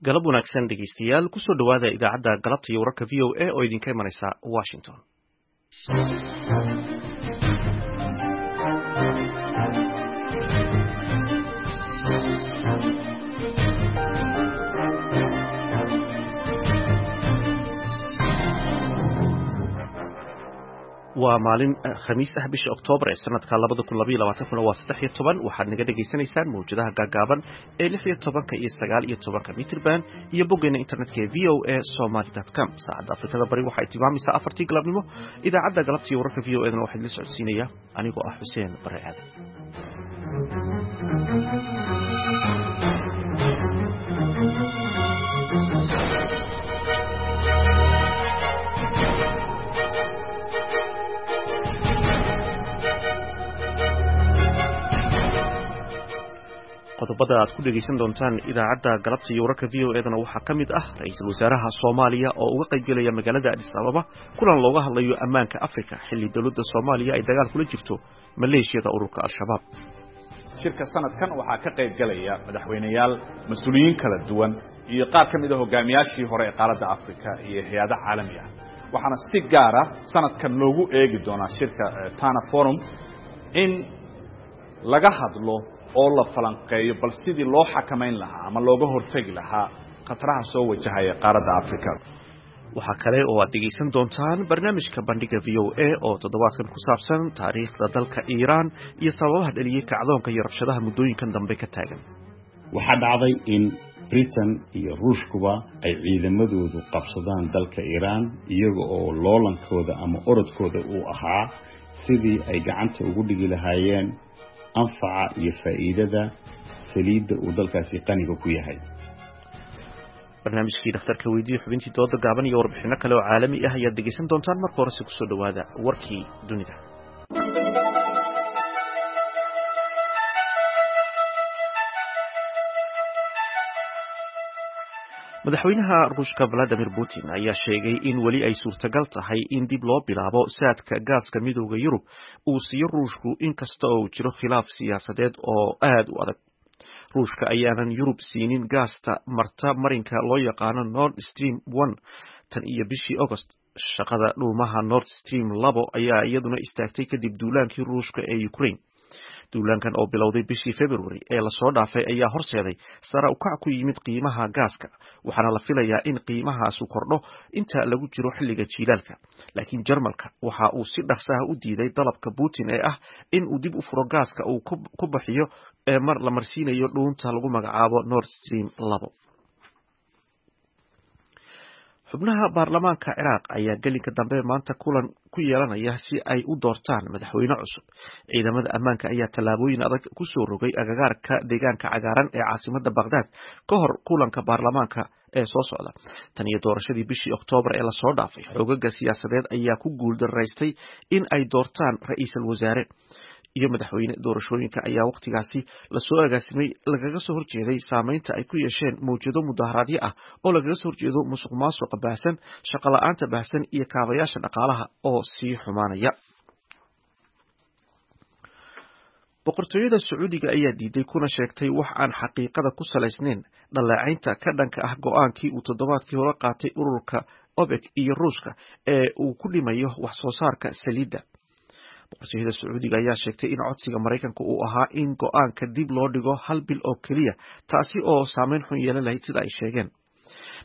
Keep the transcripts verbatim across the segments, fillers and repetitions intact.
Galab wanaagsan dhegeystayaal, kusoo dhowaada idaacadda galabta iyo wararka V O A oo idinka imanaysa Washington. Waa maalin Khamiis ah, bisha Oktoobar ee sanadka labada kun labaiyo labaatankuna waa saddex iyo toban. Waxaad naga dhegaysanaysaan mawjadaha gaagaaban ee lix iyo tobanka iyo sagaal iyo tobanka mitrban iyo boggeena internetka ee V O A Somaly dot com. Saacadda Afrikada Bari waxay tilmaamaysaa afartii galabnimo. Idaacadda galabta iyo wararka V O edana waxaa idinla socodsiinaya anigoo ah Xuseen Bare Aadan. Qodobada aad ku dhegaysan doontaan idaacadda galabta iyo wararka V O edana waxaa ka mid ah ra-iisul wasaaraha Soomaaliya oo uga qaybgelaya magaalada Addis Ababa kulan looga hadlayo ammaanka Afrika, xilli dowladda Soomaaliya ay dagaal kula jirto maleeshiyada ururka Al-Shabaab. Shirka sanadkan waxaa ka qaybgelaya madaxweyneyaal, mas-uuliyiin kala duwan iyo qaar ka mid a hogaamiyaashii hore ee qaaradda Afrika iyo hay-ado caalami ah. Waxaana si gaara sanadkan loogu eegi doonaa shirka Tana Forum in laga hadlo oo la falanqeeyo bal sidii loo xakamayn lahaa ama looga hortegi lahaa khataraha soo wajahaya qaaradda Afrika. Waxaa kale oo aad dhegaysan doontaan barnaamijka Bandhiga V O A oo toddobaadkan ku saabsan taariikhda dalka Iiraan iyo sababaha dhaliyey kacdoonka iyo rabshadaha muddooyinkan dambe ka taagan. Waxaa dhacday in Britain iyo Ruushkuba ay ciidamadoodu qabsadaan dalka Iiraan, iyaga oo loolankooda ama orodkooda uu ahaa sidii ay gacanta ugu dhigi lahaayeen anfaca iyo faa'iidada saliidda uu dalkaasi qaniga ku yahay. Barnaamijkii dhakhtarka weydiiye, xubintii dooda gaaban iyo warbixino kale oo caalami ah ayaad dhegaysan doontaan. Marka horese kusoo dhowaada warkii dunida. Madaxweynaha Ruushka Vladimir Putin ayaa sheegay in weli ay suurtagal tahay in dib loo bilaabo saadka gaaska Midowda Yurub uu siiyo Ruushku, inkasta oo uu jiro khilaaf siyaasadeed oo aad u adag. Ruushka ayaanan Yurub siinin gaasta marta marinka loo yaqaano Nord Stream one tan iyo bishii August. Shaqada dhuumaha Nord Stream labo ayaa iyaduna istaagtay kadib duulaankii Ruushka ee Ukraine. Duulaankan oo bilowday bishii February ee lasoo dhaafay ayaa horseeday sara ukac ku yimid qiimaha gaaska, waxaana la filayaa in qiimahaasu kordho inta lagu jiro xilliga jiilaalka. Laakiin Jarmalka waxa uu si dhaqso ah u diiday dalabka Putin ee ah in uu dib u furo gaaska uu ku bixiyo ee mar la marsiinayo dhuunta lagu magacaabo Nord Stream labo. Xubnaha baarlamaanka Ciraaq ayaa gelinka dambe maanta kulan ku yeelanaya si ay u doortaan madaxweyne cusub. Ciidamada ammaanka ayaa tallaabooyin adag ku soo rogay agagaarka deegaanka cagaaran ee caasimadda Baghdad ka hor kulanka baarlamaanka ee soo socda. Tan iyo doorashadii bishii Oktoobar ee lasoo dhaafay, xoogaga siyaasadeed ayaa ku guuldaraystay in ay doortaan ra'iisul wasaare iyo madaxweyne. Doorashooyinka ayaa wakhtigaasi lasoo agaasimay lagaga soo horjeeday saameynta ay ku yeesheen mawjado mudaharaadyo ah oo lagaga soo horjeedo musuq maasuqa baahsan, shaqo la'aanta baahsan iyo kaabayaasha dhaqaalaha oo sii xumaanaya. Boqortooyada Sacuudiga ayaa diiday kuna sheegtay wax aan xaqiiqada ku salaysnayn dhaleecaynta ka dhanka ah go'aankii uu toddobaadkii hore qaatay ururka OPEC iyo Ruushka ee uu ku dhimayo wax soo saarka saliidda. Boqortooyada Sacuudiga ayaa sheegtay in codsiga Maraykanka uu ahaa in go'aanka dib loo dhigo hal bil oo keliya, taasi oo saameyn xun yeelan lahayd sida ay sheegeen.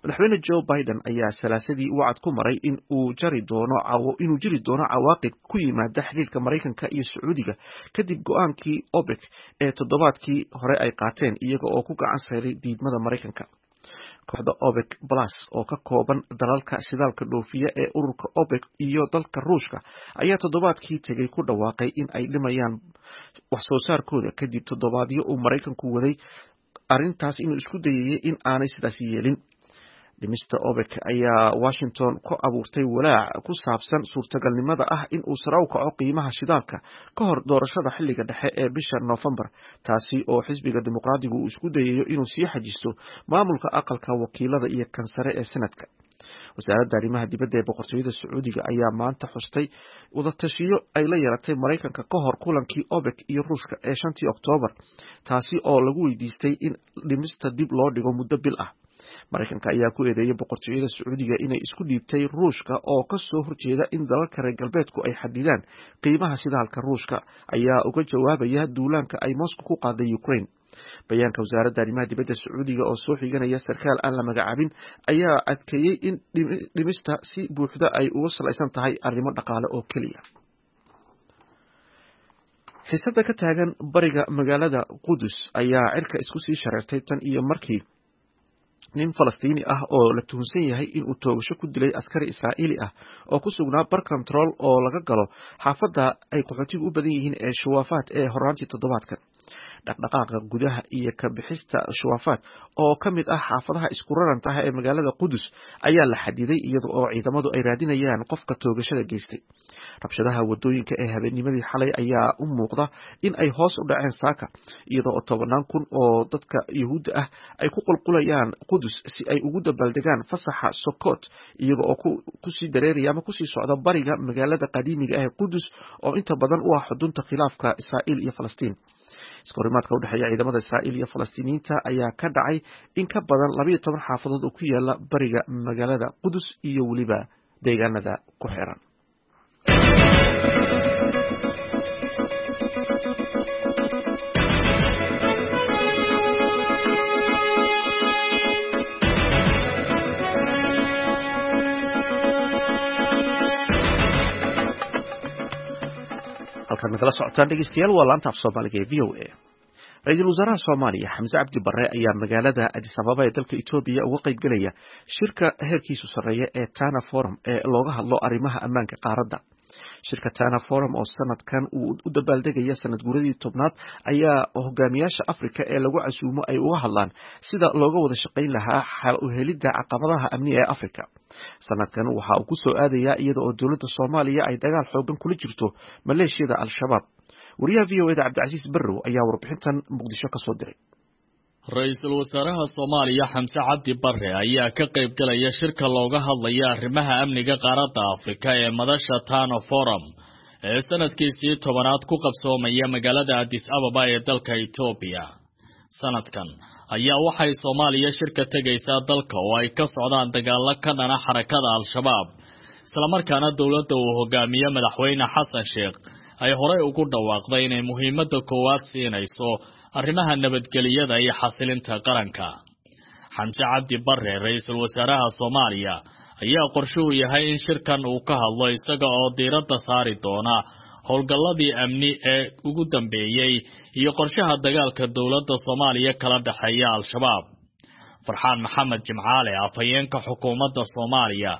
Madaxweyne Joe Biden ayaa salaasadii wacad ku maray in uu jari doono inuu jiri doono cawaaqib ku yimaada xiriirka Maraykanka iyo Sacuudiga kadib go'aankii OPEC ee toddobaadkii hore ay qaateen, iyaga oo ku gacan sayray diidmada Maraykanka. Kooxda OPEC Plus oo ka kooban dalalka shidaalka dhoofiya ee ururka OPEC iyo dalka Ruushka ayaa toddobaadkii tegay ku dhawaaqay in ay dhimayaan wax soo saarkooda kadib toddobaadyo uu Maraykanku waday arrintaas inuu isku dayayay in aanay sidaas yeelin. Dhimista OPEC ayaa Washington ku abuurtay walaac ku saabsan suurtagalnimada ah in uu sare u kaco qiimaha shidaalka ka hor doorashada xilliga dhexe ee bisha Noofembar, taasi oo xisbiga Dimuqraadigu uu isku dayayo inuu sii xajisto maamulka aqalka wakiilada iyo kan sare ee Senadka. Wasaaradda arrimaha dibadda ee boqortooyada Sacuudiga ayaa maanta xustay wadatashiyo ay la yeelatay Maraykanka ka hor kulankii OPEC iyo Ruushka ee shantii Oktoobar, taasi oo lagu weydiistay in dhimista dib loo dhigo muddo bil ah. Maraykanka ayaa ku eedeeyay boqortooyada Sacuudiga inay isku dhiibtay Ruushka oo ka soo horjeeda in dalalka reer galbeedku ay xadidaan qiimaha shidaalka. Ruushka ayaa uga jawaabaya duulaanka ay Moscow ku qaaday Ukraine. Bayaanka wasaaradda arrimaha dibadda Sacuudiga oo soo xiganaya sarkaal aan la magacaabin ayaa adkeeyey in dhimista si buuxda ay uga salaysan tahay arrimo dhaqaale oo keliya. Xiisada ka taagan bariga magaalada Qudus ayaa cirka isku sii shareertay tan iyo markii nin Falastiini ah oo la tuhunsan yahay inuu toogasho ku dilay askari Israa'iili ah oo ku sugnaa bar control oo laga galo xaafadda ay qaxootigu u badan yihiin ee Shuwaafaat ee horaantii toddobaadkan. Dhaqdhaqaaqa gudaha iyo ka bixista Shuwaafaat oo ka mid ah xaafadaha isku raranta ah ee magaalada Qudus ayaa la xadiday, iyada oo ciidamadu ay raadinayaan qofka toogashada geystay. Rabshadaha wadooyinka ee habeennimadii xalay ayaa u muuqda in ay hoos u dhaceen saaka, iyada oo tobanaan kun oo dadka Yuhuudda ah ay ku qulqulayaan Qudus si ay ugu dabaaldegaan fasaxa Sokot, iyaga oo kusii dareeraya ama kusii socda bariga magaalada qadiimiga ah ee Qudus oo inta badan u ah xudunta khilaafka Israa'iil iyo Falastiin. Iskahorimaadka u dhexeeya ciidamada Israa'iil iyo Falastiiniyiinta ayaa ka dhacay in ka badan labayo toban xaafadood oo ku yaala bariga magaalada Qudus iyo weliba deegaanada ku xiran. Halkaad nagala socotaan dhegeystayaal waa laanta af Soomaaliga ee V O A. Ra-iisul wasaaraha Soomaaliya Xamse Cabdi Barre ayaa magaalada Addis Ababa ee dalka Itoobiya uga qaybgelaya shirka heerkiisu sarreeya ee Tana Forum ee looga hadlo arrimaha ammaanka qaaradda. Shirka Tana Forum oo sanadkan uu u dabaaldegaya sanad guuradii tobnaad ayaa hogaamiyaasha Afrika ee lagu casuumo ay uga hadlaan sida looga wada shaqayn lahaa xal u helidda caqabadaha amniga ee Afrika. Sanadkan waxa uu ku soo aadayaa iyada oo dowladda Soomaaliya ay dagaal xoogan kula jirto maleeshiyada Al-Shabaab. Wariyaha V O A da Cabdicasiis Barrow ayaa warbixintan Muqdisho ka soo diray. Ra-iisul wasaaraha Soomaaliya Xamse Cabdi Barre ayaa ka qayb galaya shirka looga hadlaya arrimaha amniga qaaradda Afrika ee madasha Tano Forum ee sanadkiisii tobanaad ku qabsoomaya magaalada Addis Ababa ee dalka Itoobiya. Sanadkan ayaa waxay Soomaaliya shirka tegaysaa dalka oo ay ka socdaan dagaalo ka dhana xarakada Al-Shabaab, islamarkaana dowladda uu hogaamiye madaxweyne Xasan Sheekh ay horey ugu dhawaaqday inay muhiimadda koowaad siinayso arrimaha nabadgelyada iyo xasilinta qaranka. Xamse Cabdi Barre, ra-iisul wasaaraha Soomaaliya, ayaa qorshuhu yahay in shirkan uu ka hadlo isaga oo diiradda saari doona howlgalladii amni ee ugu dambeeyey iyo qorshaha dagaalka dowladda Soomaaliya kala dhexeeya Al-Shabaab. Farxaan Maxamed Jimcaale, afhayeenka xukuumadda Soomaaliya,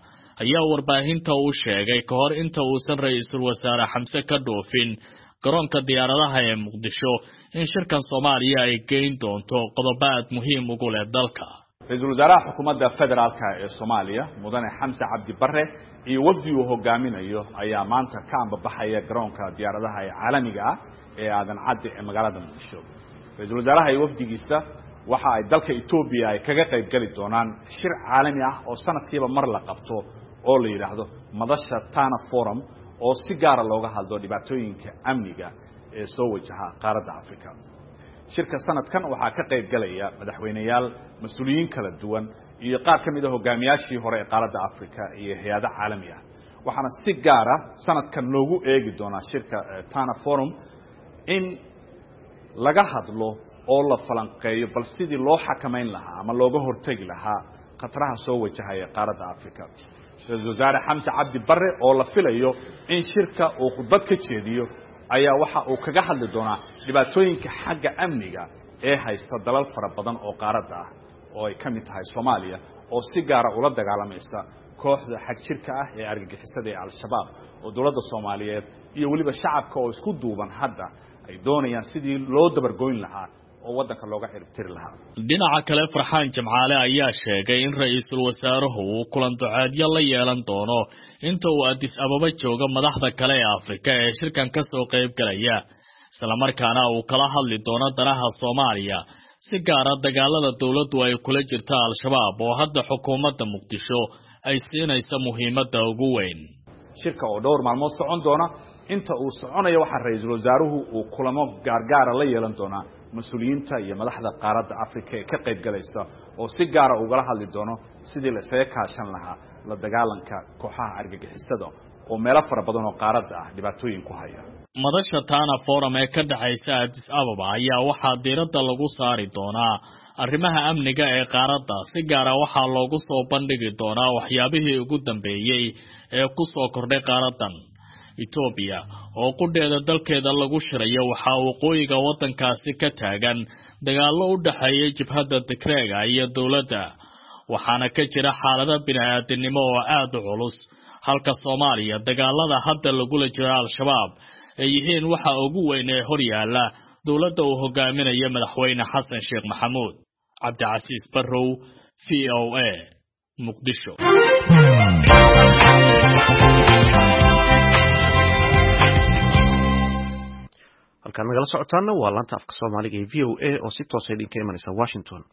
ayaa warbaahinta u sheegay ka hor inta uusan ra-iisul wasaare Xamse ka dhoofin garoonka diyaaradaha ee Muqdisho in shirkan Soomaaliya ay geyn doonto qodobo aad muhiim ugu leh dalka. Ra-iisul wasaaraha xukuumadda federaalka ee Soomaaliya Mudane Xamse Cabdi Barre iyo wafdi uu hogaaminayo ayaa maanta ka ambabaxaya garoonka diyaaradaha ee caalamiga ah ee Aadan Cadde ee magaalada Muqdisho. Ra-iisul wasaaraha iyo wafdigiisa waxa ay dalka Itoobiya ay kaga qayb gali doonaan shir caalami ah oo sanadkiiba mar la qabto oo la yidhaahdo madasha Tana Forum oo si gaara looga hadlo dhibaatooyinka amniga ee soo wajaha qaaradda Afrika. Shirka sanadkan waxaa ka qayb galaya madaxweyneyaal, mas-uuliyiin kala duwan iyo qaar ka mid ah hogaamiyaashii hore ee qaaradda Afrika iyo hay-ado caalami ah. Waxaana si gaara sanadkan loogu eegi doonaa shirka Tana Forum in laga hadlo oo la falanqeeyo bal sidii loo xakamayn lahaa ama looga hortegi lahaa khataraha soo wajahaya qaaradda Afrika. Ra-iisul wasaare Xamse Cabdi Barre oo la filayo in shirka uu khudbad ka jeediyo ayaa waxa uu kaga hadli doonaa dhibaatooyinka xagga amniga ee haysta dalal fara badan oo qaaradda ah oo ay ka mid tahay Soomaaliya oo si gaara ula dagaalamaysa kooxda xag jirka ah ee argagixisada ee Al-Shabaab oo dowladda Soomaaliyeed iyo weliba shacabka oo isku duuban hadda ay doonayaan sidii loo dabargoyn lahaa oo waddanka looga ciribtiri lahaa. Dhinaca kale, Farxaan Jimcaale ayaa sheegay in ra-iisul wasaaruhu uu kulan duceedyo la yeelan doono inta uu Addis Ababa joogo madaxda kale ee Afrika ee shirkan ka soo qayb galaya, islamarkaana uu kala hadli doono danaha Soomaaliya, si gaara dagaalada dowladdu ay kula jirta Al-Shabaab oo hadda xukuumadda Muqdisho ay siinaysa muhiimadda ugu weyn. Shirka oo dhowr maalmood socon doona, inta uu soconayo waxaa ra-iisul wasaaruhu uu kulamo gaargaara la yeelan doonaa mas-uuliyiinta iyo madaxda qaaradda Afrika ee ka qayb galaysa, oo si gaara ugala hadli doono sidii la isaga kaashan lahaa la dagaalanka kooxaha argagixisada oo meelo fara badan oo qaaradda ah dhibaatooyin ku haya. Madasha Tana Forum ee ka dhexaysa Addis Ababa ayaa waxaa diiradda lagu saari doonaa arrimaha amniga ee qaaradda. Si gaara waxaa loogu soo bandhigi doonaa waxyaabihii ugu dambeeyey ee ku soo kordhay qaaraddan. Etoobiya oo qudheeda dalkeeda lagu shirayo, waxaa waqooyiga waddankaasi ka taagan dagaallo u dhexeeya jabhadda Tigreega iyo dowladda, waxaana ka jira xaalado bini-aadinimo oo aada u culus, halka Soomaaliya dagaalada hadda lagula jiro Al-Shabaab ay yihiin waxa ugu weyn ee hor yaalla dowladda uu hogaaminayo Madaxweyne Xasan Sheekh Maxamuud. Cabdicasiis Barrow, V O A, Muqdisho. Halkaan nagala socotaana waa laanta afka Soomaaliga ee V O A oo si toosa idinka imanaysa Washington.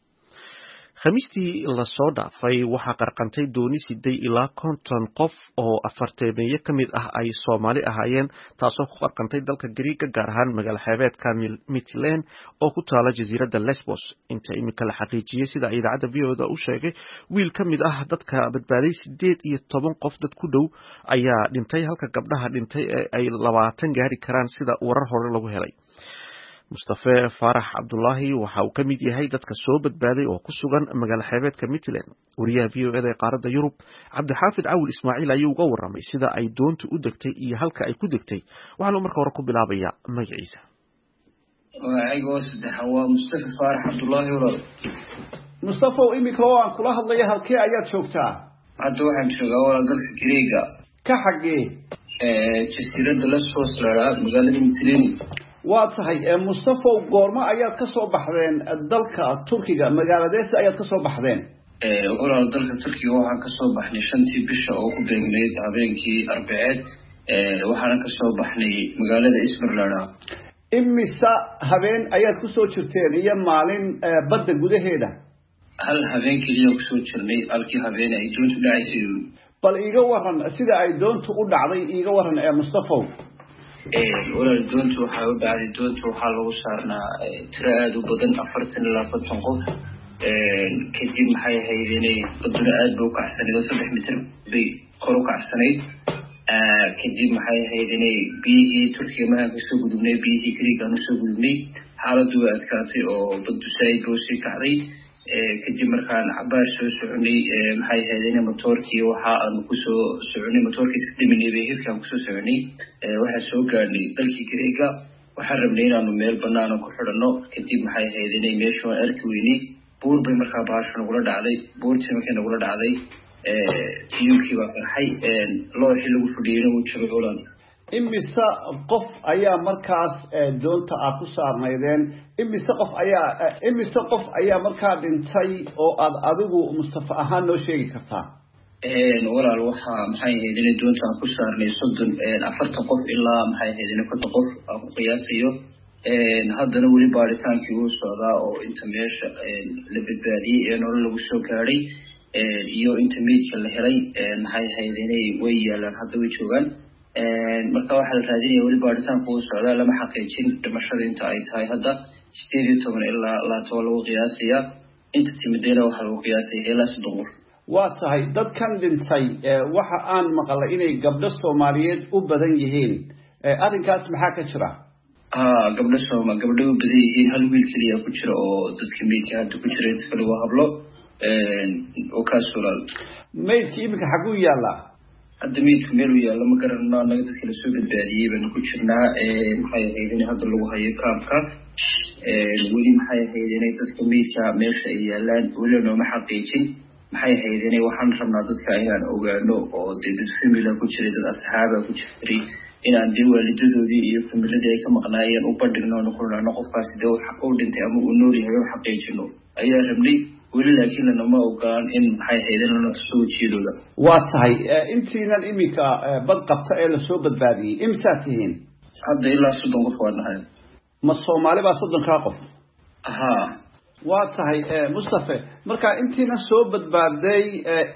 Khamiistii lasoo dhaafay waxaa qarqantay dooni siday ilaa konton qof oo afarteemeeye ka mid ah ay Soomaali ahaayeen, taasoo ku qarqantay dalka Gariiga, gaar ahaan magaalo xeebeedka Mitland oo ku taala jasiiradda Lesbos. Inta iminka la xaqiijiyey, sida idaacadda V O da u sheegay wiil ka mid ah dadka badbaaday, sideed iyo toban qof dad ku dhow ayaa dhintay, halka gabdhaha dhintay ee ay labaatan gaari karaan sida warar hore lagu helay. Mustafe Faarax Cabdulaahi waxa uu ka mid yahay dadka soo badbaaday oo ku sugan magaalo xeebeedka Mitland. Wariyaha V O eda ee qaaradda Yurub Cabdixaafid Cawil Ismaaciil ayuu uga waramay sida ay doontu u degtay iyo halka ay ku degtay. Waxaanu marka hore ku bilaabayaa magaciisa. Magacayga oo saddexa waa Mustafe Faarax Cabdulaahi. Walaal Mustafow, iminka oo aan kula hadlaya halkee ayaad joogtaa? Hadda waxaan joogaa walaal dalka Greega. Ka xaggee? Jasiiradda Lesbos la magaalada Mitileni. Waa tahay Mustafow, goormo ayaad ka soo baxdeen dalka Turkiga? Magaaladeesa ayaad ka soo baxdeen? Walaal, dalka Turkiga waxaan kasoo baxnay shantii bisha oo ku beegnayd habeenkii Arbaceed, waxaana kasoo baxnay magaalada Ismir la. Imisa habeen ayaad kusoo jirteen iyo maalin badda gudaheeda? Hal habeen keliya kusoo jirnay, halkii habeen ay doontu dhacaysay. Bal iiga waran sida ay doontu u dhacday, iiga waran ee Mustafow. Walaal, doontu waxay u dhacday, doontu waxaa lagu saarnaa tiro aada u badan, afartan ilaa konton qof. Kadib maxay ahayd inay baduna aada bay u kacsanayd oo saddex mitir bay kor u kacsanayd. Kadib maxay ahayd inay biyihii Turkiga markaan kasoo gudubnay, biyihii Greeg aan usoo gudubnay, xaaladdu way adkaatay oo baddu saaid bay usii kacday. Kadib markaan cabaar soo soconay, maxay ahayd inay motoorkii waxa aanu kusoo soconay, motoorkii iska daminay bay hirkaan kusoo soconay, waxaa soo gaadhnay dalkii Greega. Waxaan rabnay inaanu meel banaana ku xidhanno. Kadib maxay ahayd inay meesha waan arki weynay, buur bay markaa bahashu nagula dhacday. Buurtii markay nagula dhacday, tiyuubkii baa qarxay, looxii lagu fadhiyeyna wuu jabay walaal. Imise qof ayaa markaas doonta aad ku saarnaydeen? Imise qof ayaa imise qof ayaa markaa dhintay oo aad adigu Mustafa ahaan noo sheegi kartaa? Walaal, waxaa maxay ahayd inay doonta aan ku saarnay soddon, afartan qof ilaa maxay ahayd inay konton qof aan ku qiyaasayo. Haddana weli baaritaankii wuu socdaa oo inta meesha la badbaadiyey ee nolol lagu soo gaadhay iyo inta meydka la helay maxay ahayd inay way yaalaan, hadda way joogaan. Marka waxaa la raadinaya, weli baaritaanku wuu socdaa, lama xaqiijin dhimashada inta ay tahay. Hadda sideed iyo toban ilaa labaatan waa lagu qiyaasayaa, inta timidayna waxaa lagu qiyaasaya ilaa soddon qof. Waa tahay, dadkan dhintay waxa aan maqlay inay gabdho Soomaaliyeed u badan yihiin, arrinkaas maxaa ka jira? Ha, gabdho sooma gabdho u badan yihiin, hal wiil keliya ku jira oo dadka meydka hadda ku jira, inta kale waa hablo oo kaas walaal. Maydkii iminka xaguu yaallaa? Hadda meydku meel uu yaallo ma garanano. Annaga dadka lasoo badbaadiyey baynu ku jirnaa, maxay ahayd in hadda lagu hayo kaamka. Weli maxay ahayd inay dadka meydka meesha ay yaalaan weli nooma xaqiijin. Maxay ahayd inay waxaan rabnaa dadka inaan ogaano oo dee dad famila ku jiray, dad asxaaba ku jiray, inaan dee waalidadoodii iyo familadii ay ka maqnaayeen u bandhigno, oonu ku nidhahno qofkaasi dee uu dhintay ama uu nool yahay, u xaqiijino ayaa rabnay weli, laakiin lanama ogolaan in maxay ahayd in lana tuso wejiyadooda. Waa tahay, intiinan iminka bad qabta ee lasoo badbaadiyey imisaa tihiin? Hadda ilaa soddon qof waa nahay. Ma Soomaali baa soddonkaa qof? Ha. Waa tahay Mustafe, marka intiina soo badbaaday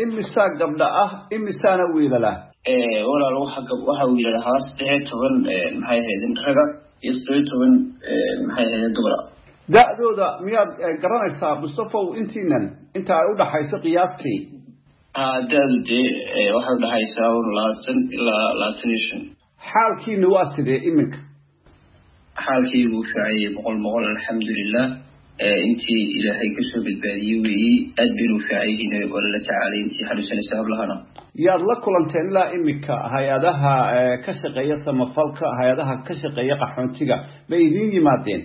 imisaa gabdha ah, imisaana wiilala? Walaal, waxa waxaa wiilal ahaa saddex iyo toban maxay ahayd raga iyo toddobiyo toban maxay ahayd dumara. Da-dooda miyaad garanaysaa, Mustafaw, intiinan inta ay u dhaxayso qiyaastii? Ha, da-du dee waxay udhaxaysaa un labaatan ilaa labaatan iyo shan. Xaalkiina waa sidee iminka? Xaalkaygu fiicayay boqol boqol, alxamdulilah. Intii Ilaahay kasoo badbaadiyey weeyi, aad baynu fiicayihiin, waa lala tacaalay intii xanuunsanaysa hablahana. Yaad la kulanteen ilaa iminka? Hay-adaha ka shaqeeya samafalka, hay-adaha ka shaqeeya qaxoontiga, ma idiin yimaadeen?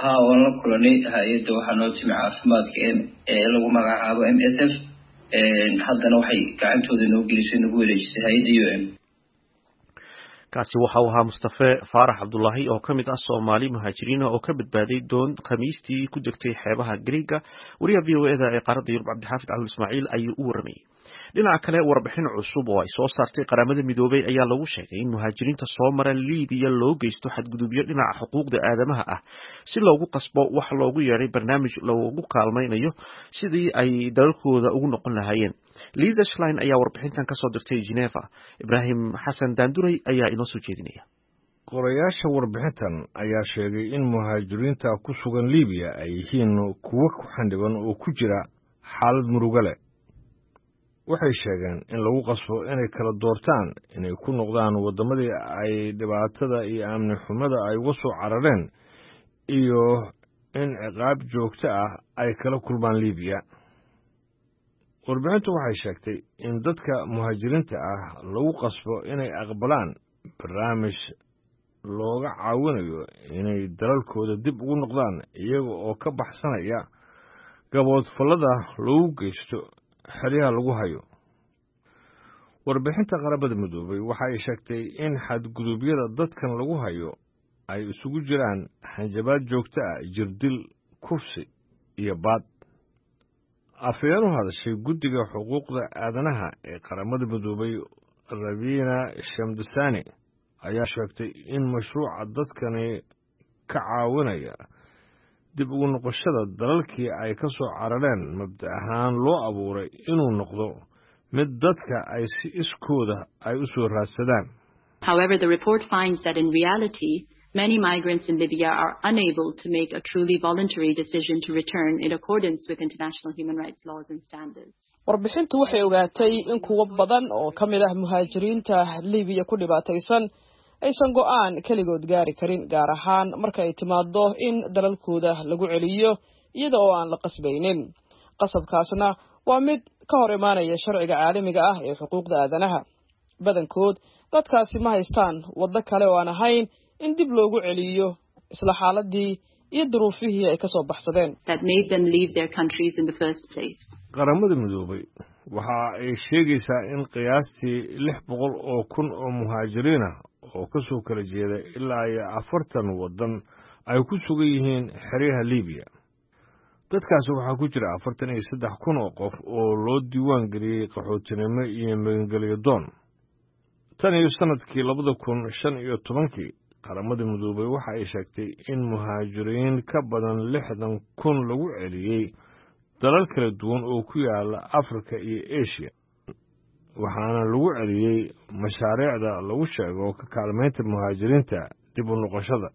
Ha, waan la kulanay. Hay-adda waxaa noo timi caafimaadka ee lagu magacaabo M S F. Haddana waxay gacantooda noo gelisay, nagu wareejisay hay-adda U M. Kaasi waxa uu ahaa Mustafe Faarax Cabdulaahi oo ka mid ah Soomaali muhaajiriina oo ka badbaaday doon Khamiistii ku degtay xeebaha Greega. Wariyaha V O E da ee qaaradda Yurub, Cabdixaafid Cawil Ismaaciil, ayuu u waramayey. Dhinaca kale, warbixin cusub oo ay soo saartay Qaramada Midoobay ayaa lagu sheegay in muhaajiriinta soo mara Liibiya loo geysto xadgudubyo dhinaca xuquuqda aadamaha ah, si loogu qasbo wax loogu yeedhay barnaamij loogu kaalmaynayo sidii ay dalalkooda ugu noqon lahaayeen. Lisa Schlein ayaa warbixintan kasoo dirtay Geneva. Ibraahim Xasan Daanduray ayaa inoo soo jeedinaya. Qorayaasha warbixintan ayaa sheegay in muhaajiriinta ku sugan Liibiya ay yihiin kuwo ku xandhiban oo ku jira xaalad murugo leh. Waxay sheegeen in lagu qasbo inay kala doortaan inay ku noqdaan waddamadii ay dhibaatada iyo amni xumada ay uga soo carareen iyo in ciqaab joogto ah ay kala kulmaan Liibiya. Warbixintu waxay sheegtay in dadka muhaajiriinta ah lagu qasbo inay aqbalaan barnaamij looga caawinayo inay dalalkooda dib ugu noqdaan, iyaga oo ka baxsanaya gaboodfallada lagu geysto xeryaha lagu hayo. Warbixinta Qaramada Midoobay waxa ay sheegtay in xadgudubyada dadkan lagu hayo ay isugu jiraan hanjabaad joogto ah, jirdil, kufsi iyo baad. Afhayeen u hadashay Guddiga Xuquuqda Aadanaha ee Qaramada Midoobay, Ravina Shamdasani, ayaa sheegtay in mashruuca dadkani ka caawinaya dib ugu noqoshada dalalkii ay ka soo carareen mabda ahaan loo abuuray inuu noqdo mid dadka ay si iskooda ay u soo raadsadaan. However, the report finds that in reality, many migrants in Libya are unable to make a truly voluntary decision to return in accordance with international human rights laws and standards. Warbixintu waxay ogaatay in kuwo badan oo ka mid ah muhaajiriinta Libiya ku dhibaataysan aysan go'aan keligood gaari karin, gaar ahaan marka ay timaado in dalalkooda lagu celiyo iyada oo aan la qasbaynin. Qasabkaasna waa mid ka hor imaanaya sharciga caalamiga ah ee xuquuqda aadanaha. Badankood dadkaasi ma haystaan waddo kale oo aan ahayn in dib loogu celiyo isla xaaladii iyo duruufihii ay ka soo baxsadeen. That made them leave their countries in the first place. Qaramada Midoobay waxa ay sheegaysaa in qiyaastii lix boqol oo kun oo muhaajiriin ah oo ka soo kala jeeda ilaa iyo afartan waddan ay ku sugan yihiin xeryaha Liibiya. Dadkaasi waxaa ku jira afartan iyo saddex kun oo qof oo loo diiwaan geliyey qaxootinimo iyo magangelyo doon. Tan iyo sannadkii labada kun shan iyo tobankii, Qaramada Midoobay waxa ay sheegtay in muhaajiriin ka badan lixdan kun lagu celiyey dalal kala duwan oo ku yaala Afrika iyo Eshiya, waxaana lagu celiyey mashaariicda lagu sheego ka kaalmaynta muhaajiriinta dib u noqoshada.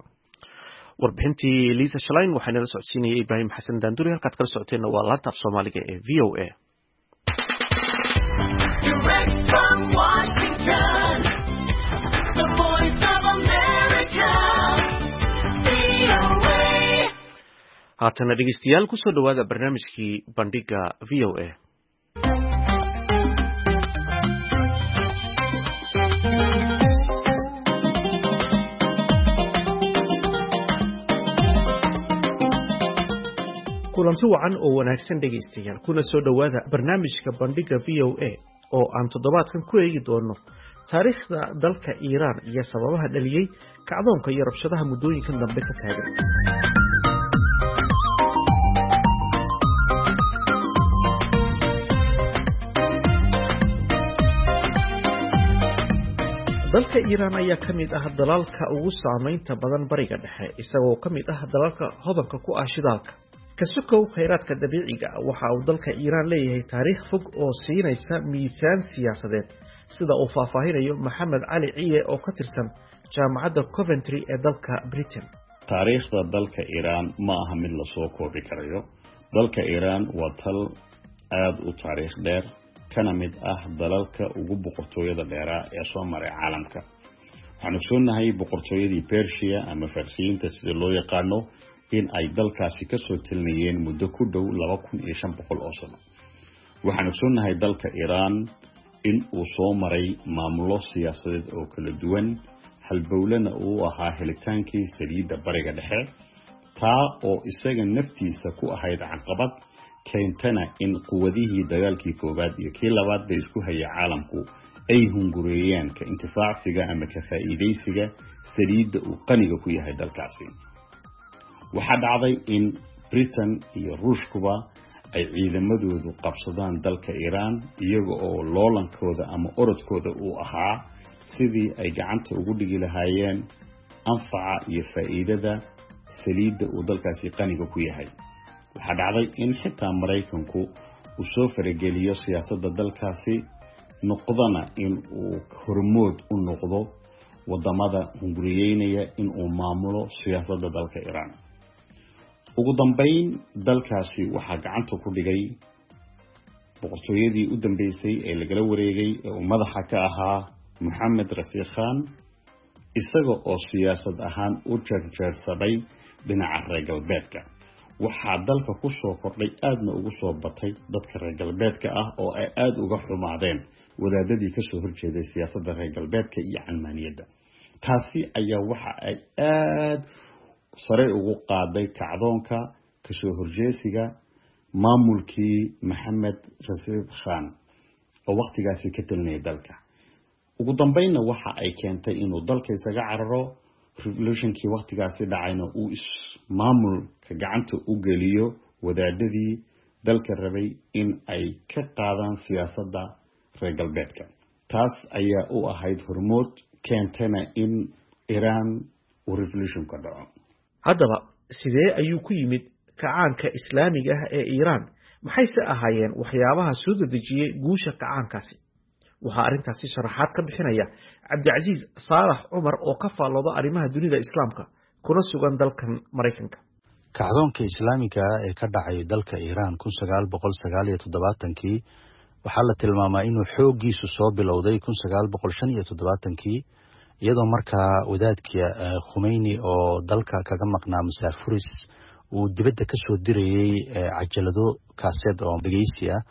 Warbixintii Lisa Schlein waxaa nala socodsiinayay Ibraahim Xasan Daanduri. Halkaad kala socoteenna waa laanta af Soomaaliga ee V O A. Direct from Washington, the Voice of America, V O A. Haatana dhegeystayaal, kusoo dhowaada barnaamijkii Bandhiga V O A. Kulanti wacan oo wanaagsan dhegaystayaal, kuna soo dhowaada barnaamijka Bandhiga V O A oo aan toddobaadkan ku eegi doono taariikhda dalka Iiraan iyo sababaha dhaliyey kacdoonka iyo rabshadaha muddooyinkan dambe ka taagan. Dalka Iiraan ayaa ka mid ah dalalka ugu saameynta badan Bariga Dhexe, isagoo ka mid ah dalalka hodanka ku ah shidaalka. Ka sokow khayraadka dabiiciga ah, waxa uu dalka Iiraan leeyahay taariikh fog oo siinaysa miisaan siyaasadeed, sida uu faahfaahinayo Maxamed Cali Ciye oo ka tirsan Jaamacadda Coventry ee dalka Britain. Taariikhda dalka Iiraan ma aha mid lasoo koobi karayo. Dalka Iiraan waa tal aada u taariikh dheer, kana mid ah dalalka ugu boqortooyada dheeraa ee soo maray caalamka. Waxaan ogsoonnahay boqortooyadii Persia ama Farsiyiinta sida loo yaqaano in ay dalkaasi kasoo talinayeen muddo ku dhow laba kun iyo shan boqol oo sano. Waxaan ogsoonnahay dalka Iiraan in uu soo maray maamulo siyaasadeed oo kala duwan, halbowlena uu ahaa helitaankii saliidda Bariga Dhexe, taa oo isaga naftiisa ku ahayd caqabad keentana in quwadihii dagaalkii koowaad iyo kii labaad bay isku hayay caalamku ay hungureeyaan ka intifaacsiga ama ka faa'iidaysiga saliidda uu qaniga ku yahay dalkaasi. Waxaa dhacday in Britain iyo Ruushkuba ay ciidamadoodu qabsadaan dalka Iiraan, iyaga oo loolankooda ama orodkooda uu ahaa sidii ay gacanta ugu dhigi lahaayeen anfaca iyo faa'iidada saliidda uu dalkaasi qaniga ku yahay. Waxaa dhacday in xitaa Maraykanku uu soo farageliyo siyaasadda dalkaasi, noqdana in uu hormood u noqdo wadamada hunguriyeynaya in uu maamulo siyaasadda dalka Iiraan. Ugu dambeyn dalkaasi waxaa gacanta ku dhigay boqortooyadii u dambeysay ee lagala wareegay ee uu madaxa ka ahaa Moxamed Rasiikh Khan, isaga oo siyaasad ahaan u jeerjeersaday dhinaca reer galbeedka. Waxaa dalka ku soo kordhay aadna ugu soo batay dadka reer galbeedka ah oo ay aada uga xumaadeen wadaadadii kasoo horjeeday siyaasadda reer galbeedka iyo calmaaniyadda. Taasi ayaa waxa ay aada sare ugu qaaday kacdoonka kasoo horjeesiga maamulkii Maxamed Rasiib Khan oo wakhtigaasi ka talinayay dalka. Ugu dambeynna waxa ay keentay inuu dalka isaga cararo, revolutionkii wakhtigaasi dhacayna uu ismaamulka gacanta u geliyo wadaadadii dalka rabay in ay ka qaadaan siyaasadda reer galbeedka. Taas ayaa u ahayd hormood keentana in Iiraan uu revolutionka dhaco. Haddaba sidee ayuu ku yimid kacaanka islaamiga ah ee Iiraan? Maxayse ahaayeen waxyaabaha soo dedejiyey guusha kacaankaasi? Waxaa arrintaasi sharaxaad ka bixinaya Cabdicasiis Saalax Cumar oo ka faallooda arrimaha dunida islaamka kuna sugan dalkan Maraykanka. Kacdoonka islaamiga ah ee ka dhacay dalka Iiraan kun sagaal boqol sagaal iyo toddobaatankii waxaa la tilmaamaa inuu xooggiisu soo bilowday kun sagaal boqol shan iyo toddobaatankii, iyadoo markaa wadaadkii Khumeyni oo dalka kaga maqnaa musaafuris uu dibadda ka soo dirayey cajalado kaaseed oo dhegeysi ah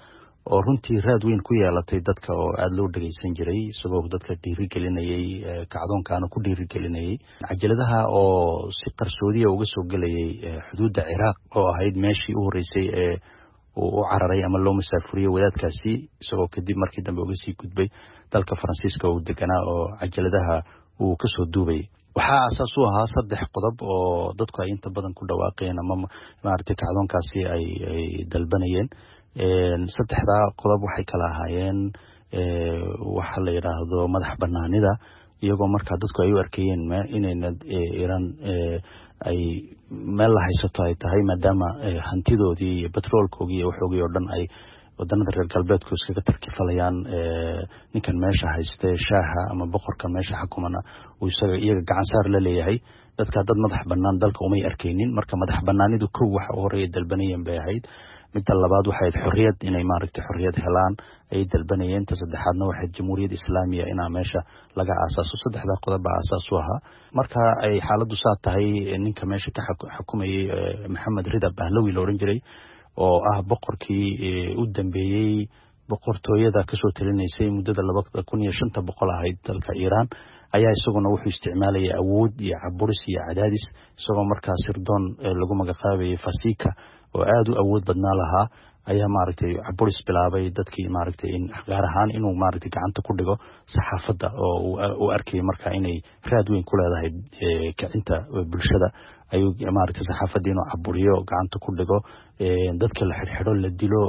oo runtii raad weyn ku yeelatay dadka oo aada loo dhegeysan jiray, isagoo dadka dhiirigelinayey, kacdoonkaana ku dhiirigelinayey. Cajaladaha oo si qarsoodiya uga soo gelayay xuduudda Ciraaq oo ahayd meeshii u horreysay ee uu u cararay ama loo musaafuriyey wadaadkaasi, isagoo kadib markii dambe uga sii gudbay dalka Faransiiska oo deganaa oo cajaladaha uu kasoo duubayay. Waxaa aasaas u ahaa saddex qodob oo dadku ay inta badan ku dhawaaqeen ama maaragtay kacdoonkaasi ay ay dalbanayeen. Saddexdaa qodob waxay kala ahaayeen waxa la yidhaahdo madax banaanida, iyagoo markaa dadku ay u arkayeen inayna Iiraan ay meel la haysato ay tahay, maadaama hantidoodii iyo batroolkoogii iyo waxoogii oo dhan ay wadanada reer galbeedku iskaga tarkifalayaan. Ninkan meesha hayste shaaha ama boqorkan meesha xukumana uu isaga iyaga gacan saar la leeyahay. Dadka dad madax banaan dalka umay arkaynin, marka madax banaanidu kow waxa u horeeya dalbanayeen bay ahayd. Midda labaad waxay ahayd xorriyad, inay maaragtay xorriyad helaan ayay dalbanayeen. Ta saddexaadna waxay jamhuuriyad islaamiya inaa meesha laga aasaaso. Saddexdaa qodob baa aasaas u ahaa. Marka ay xaaladdu saa tahay, ninka meesha ka xukumayey Maxamed Rida Bahlawi la odhan jiray oo ah boqorkii u dambeeyey boqortooyada kasoo talinaysay muddada laba kun iyo shanta boqol ahayd dalka Iiraan, ayaa isaguna wuxuu isticmaalayay awood iyo caburis iyo cadaadis, isagoo markaa sirdoon lagu magacaabayay Fasika oo aada u awood badnaa lahaa ayaa maaragtay caburis bilaabay dadkii maaragtay in gaar ahaan inuu maaragtay gacanta ku dhigo saxaafadda oo uu arkayay markaa inay raad weyn ku leedahay kicinta bulshada. Ayuu maaragtay saxaafaddii inuu caburiyo, gacanta ku dhigo, dadka la xidhxidho, la dilo.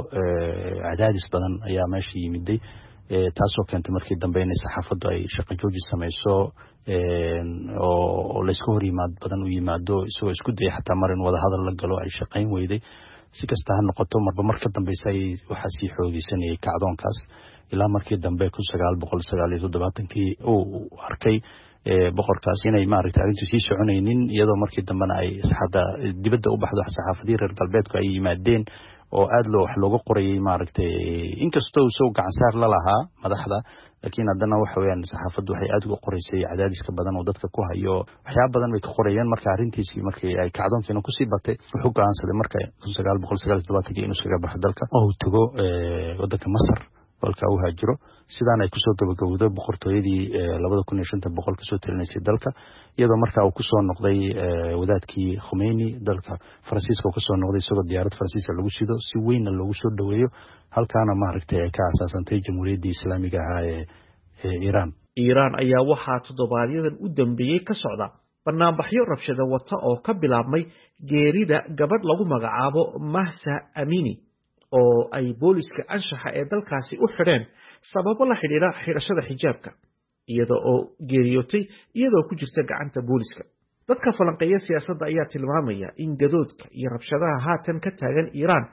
Cadaadis badan ayaa meesha yimiday, taasoo keentay markii dambe inay saxaafaddu ay shaqo jooji samayso oo layska hor yimaad badan u yimaado, isagoo isku dayay xataa mar in wadahadal la galo ay shaqayn weyday. Si kasta ha noqoto, marba mar ka dambeysa ayay waxaa sii xoogeysanayay kacdoonkaas, ilaa markii dambe kun sagaal boqol sagaal iyo toddobaatankii uu arkay Boqorkaas inay maaragtay arrintu sii soconaynin, iyadoo markii dambena ay hadda dibadda u baxdo, saxaafadihii reer galbeedku ay yimaadeen oo aada loo wax looga qorayay maaragtay. Inkastoo isagoo gacansaar la lahaa madaxda, laakiin haddana waxa weeyaan saxaafaddu waxay aada uga qoraysay cadaadiska badan oo dadka ku hayo, waxyaaba badan bay ka qorayeen. Marka arrintiisii markii ay kacdoonkiina kusii batay, wuxuu go'aansaday marka kun sagaal boqol sagaal iyo todobaatankii inuu iskaga baxo dalka oo uu tago waddanka Masar, halkaa u haajiro. Sidaan ay kusoo gabagabowdo boqortooyadii labada kun iyo shanta boqol kasoo talinaysay dalka, iyadoo markaa uu kusoo noqday wadaadkii Khomeini dalka Faransiiska uu kasoo noqday, isagoo diyaarad Faransiiska lagu sido, si weynna loogu soo dhoweeyo, halkaana maaragtay ay ka asaasantay Jamhuuriyaddii Islaamiga ahaa ee ee Iiraan. Iiraan ayaa waxaa toddobaadyadan u dambeeyey ka socda banaanbaxyo rabshado wata oo ka bilaabmay geerida gabadh lagu magacaabo Mahsa Amini oo ay booliska anshaxa ee dalkaasi u xidheen sababo la xidhiidha xidhashada xijaabka, iyada oo geeriyootay iyadoo ku jirta gacanta booliska. Dadka falanqeeya siyaasadda ayaa tilmaamaya in gadoodka iyo rabshadaha haatan ka taagan Iiraan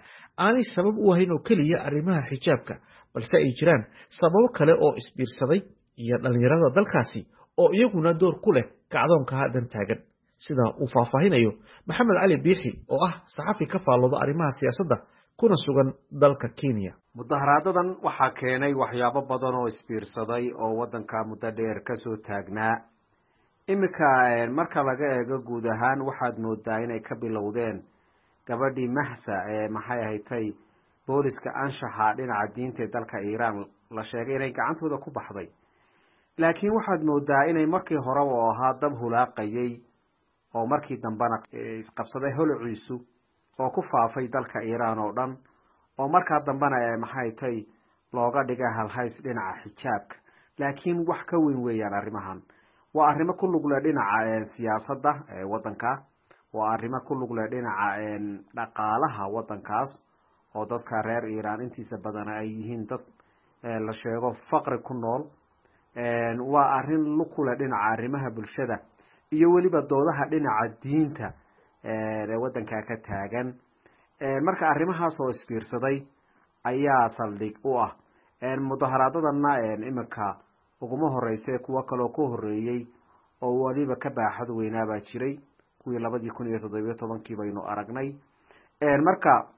aanay sabab u ahayn oo keliya arrimaha xijaabka, balse ay jiraan sababo kale oo isbiirsaday iyo dhalinyarada dalkaasi oo iyaguna door ku leh kacdoonka haatan taagan, sida uu faahfaahinayo Maxamed Cali Biixi oo ah saxafi ka faallooda arrimaha siyaasadda kuna sugan dalka Kenya. Mudaharaadadan waxaa keenay waxyaabo badan oo isbiirsaday oo waddanka muddo dheer kasoo taagnaa. Iminka marka laga eego guud ahaan, waxaad moodaa inay ka bilowdeen gabadhii Mahsa ee maxay ahatay booliska anshaxa dhinaca diinta ee dalka Iiraan la sheegay inay gacantooda ku baxday, laakiin waxaad moodaa inay markii horeba oo ahaa dab hulaaqayay oo markii dambena isqabsaday holociisu oo ku faafay dalka Iiraan oo dhan, oo markaa dambena ee maxay tay looga dhigay halhays dhinaca xijaabka. Laakiin wax ka weyn weeyaan arrimahan, waa arrimo ku lug leh dhinaca siyaasadda waddanka, waa arrimo ku lug leh dhinaca dhaqaalaha waddankaas oo dadka reer Iiraan intiisa badan ay yihiin dad la sheego faqri ku nool, waa arrin lug ku leh dhinaca arrimaha bulshada iyo weliba doodaha dhinaca diinta ee waddanka ka taagan. Marka arrimahaas oo isbiirsaday ayaa saldhig u ah mudaharaadadana. Iminka uguma horeyse, kuwo kaloo ka horeeyey oo weliba ka baaxad weynaabaa jiray, kuwii labadii kun iyo toddobiyo tobankii baynu aragnay. Marka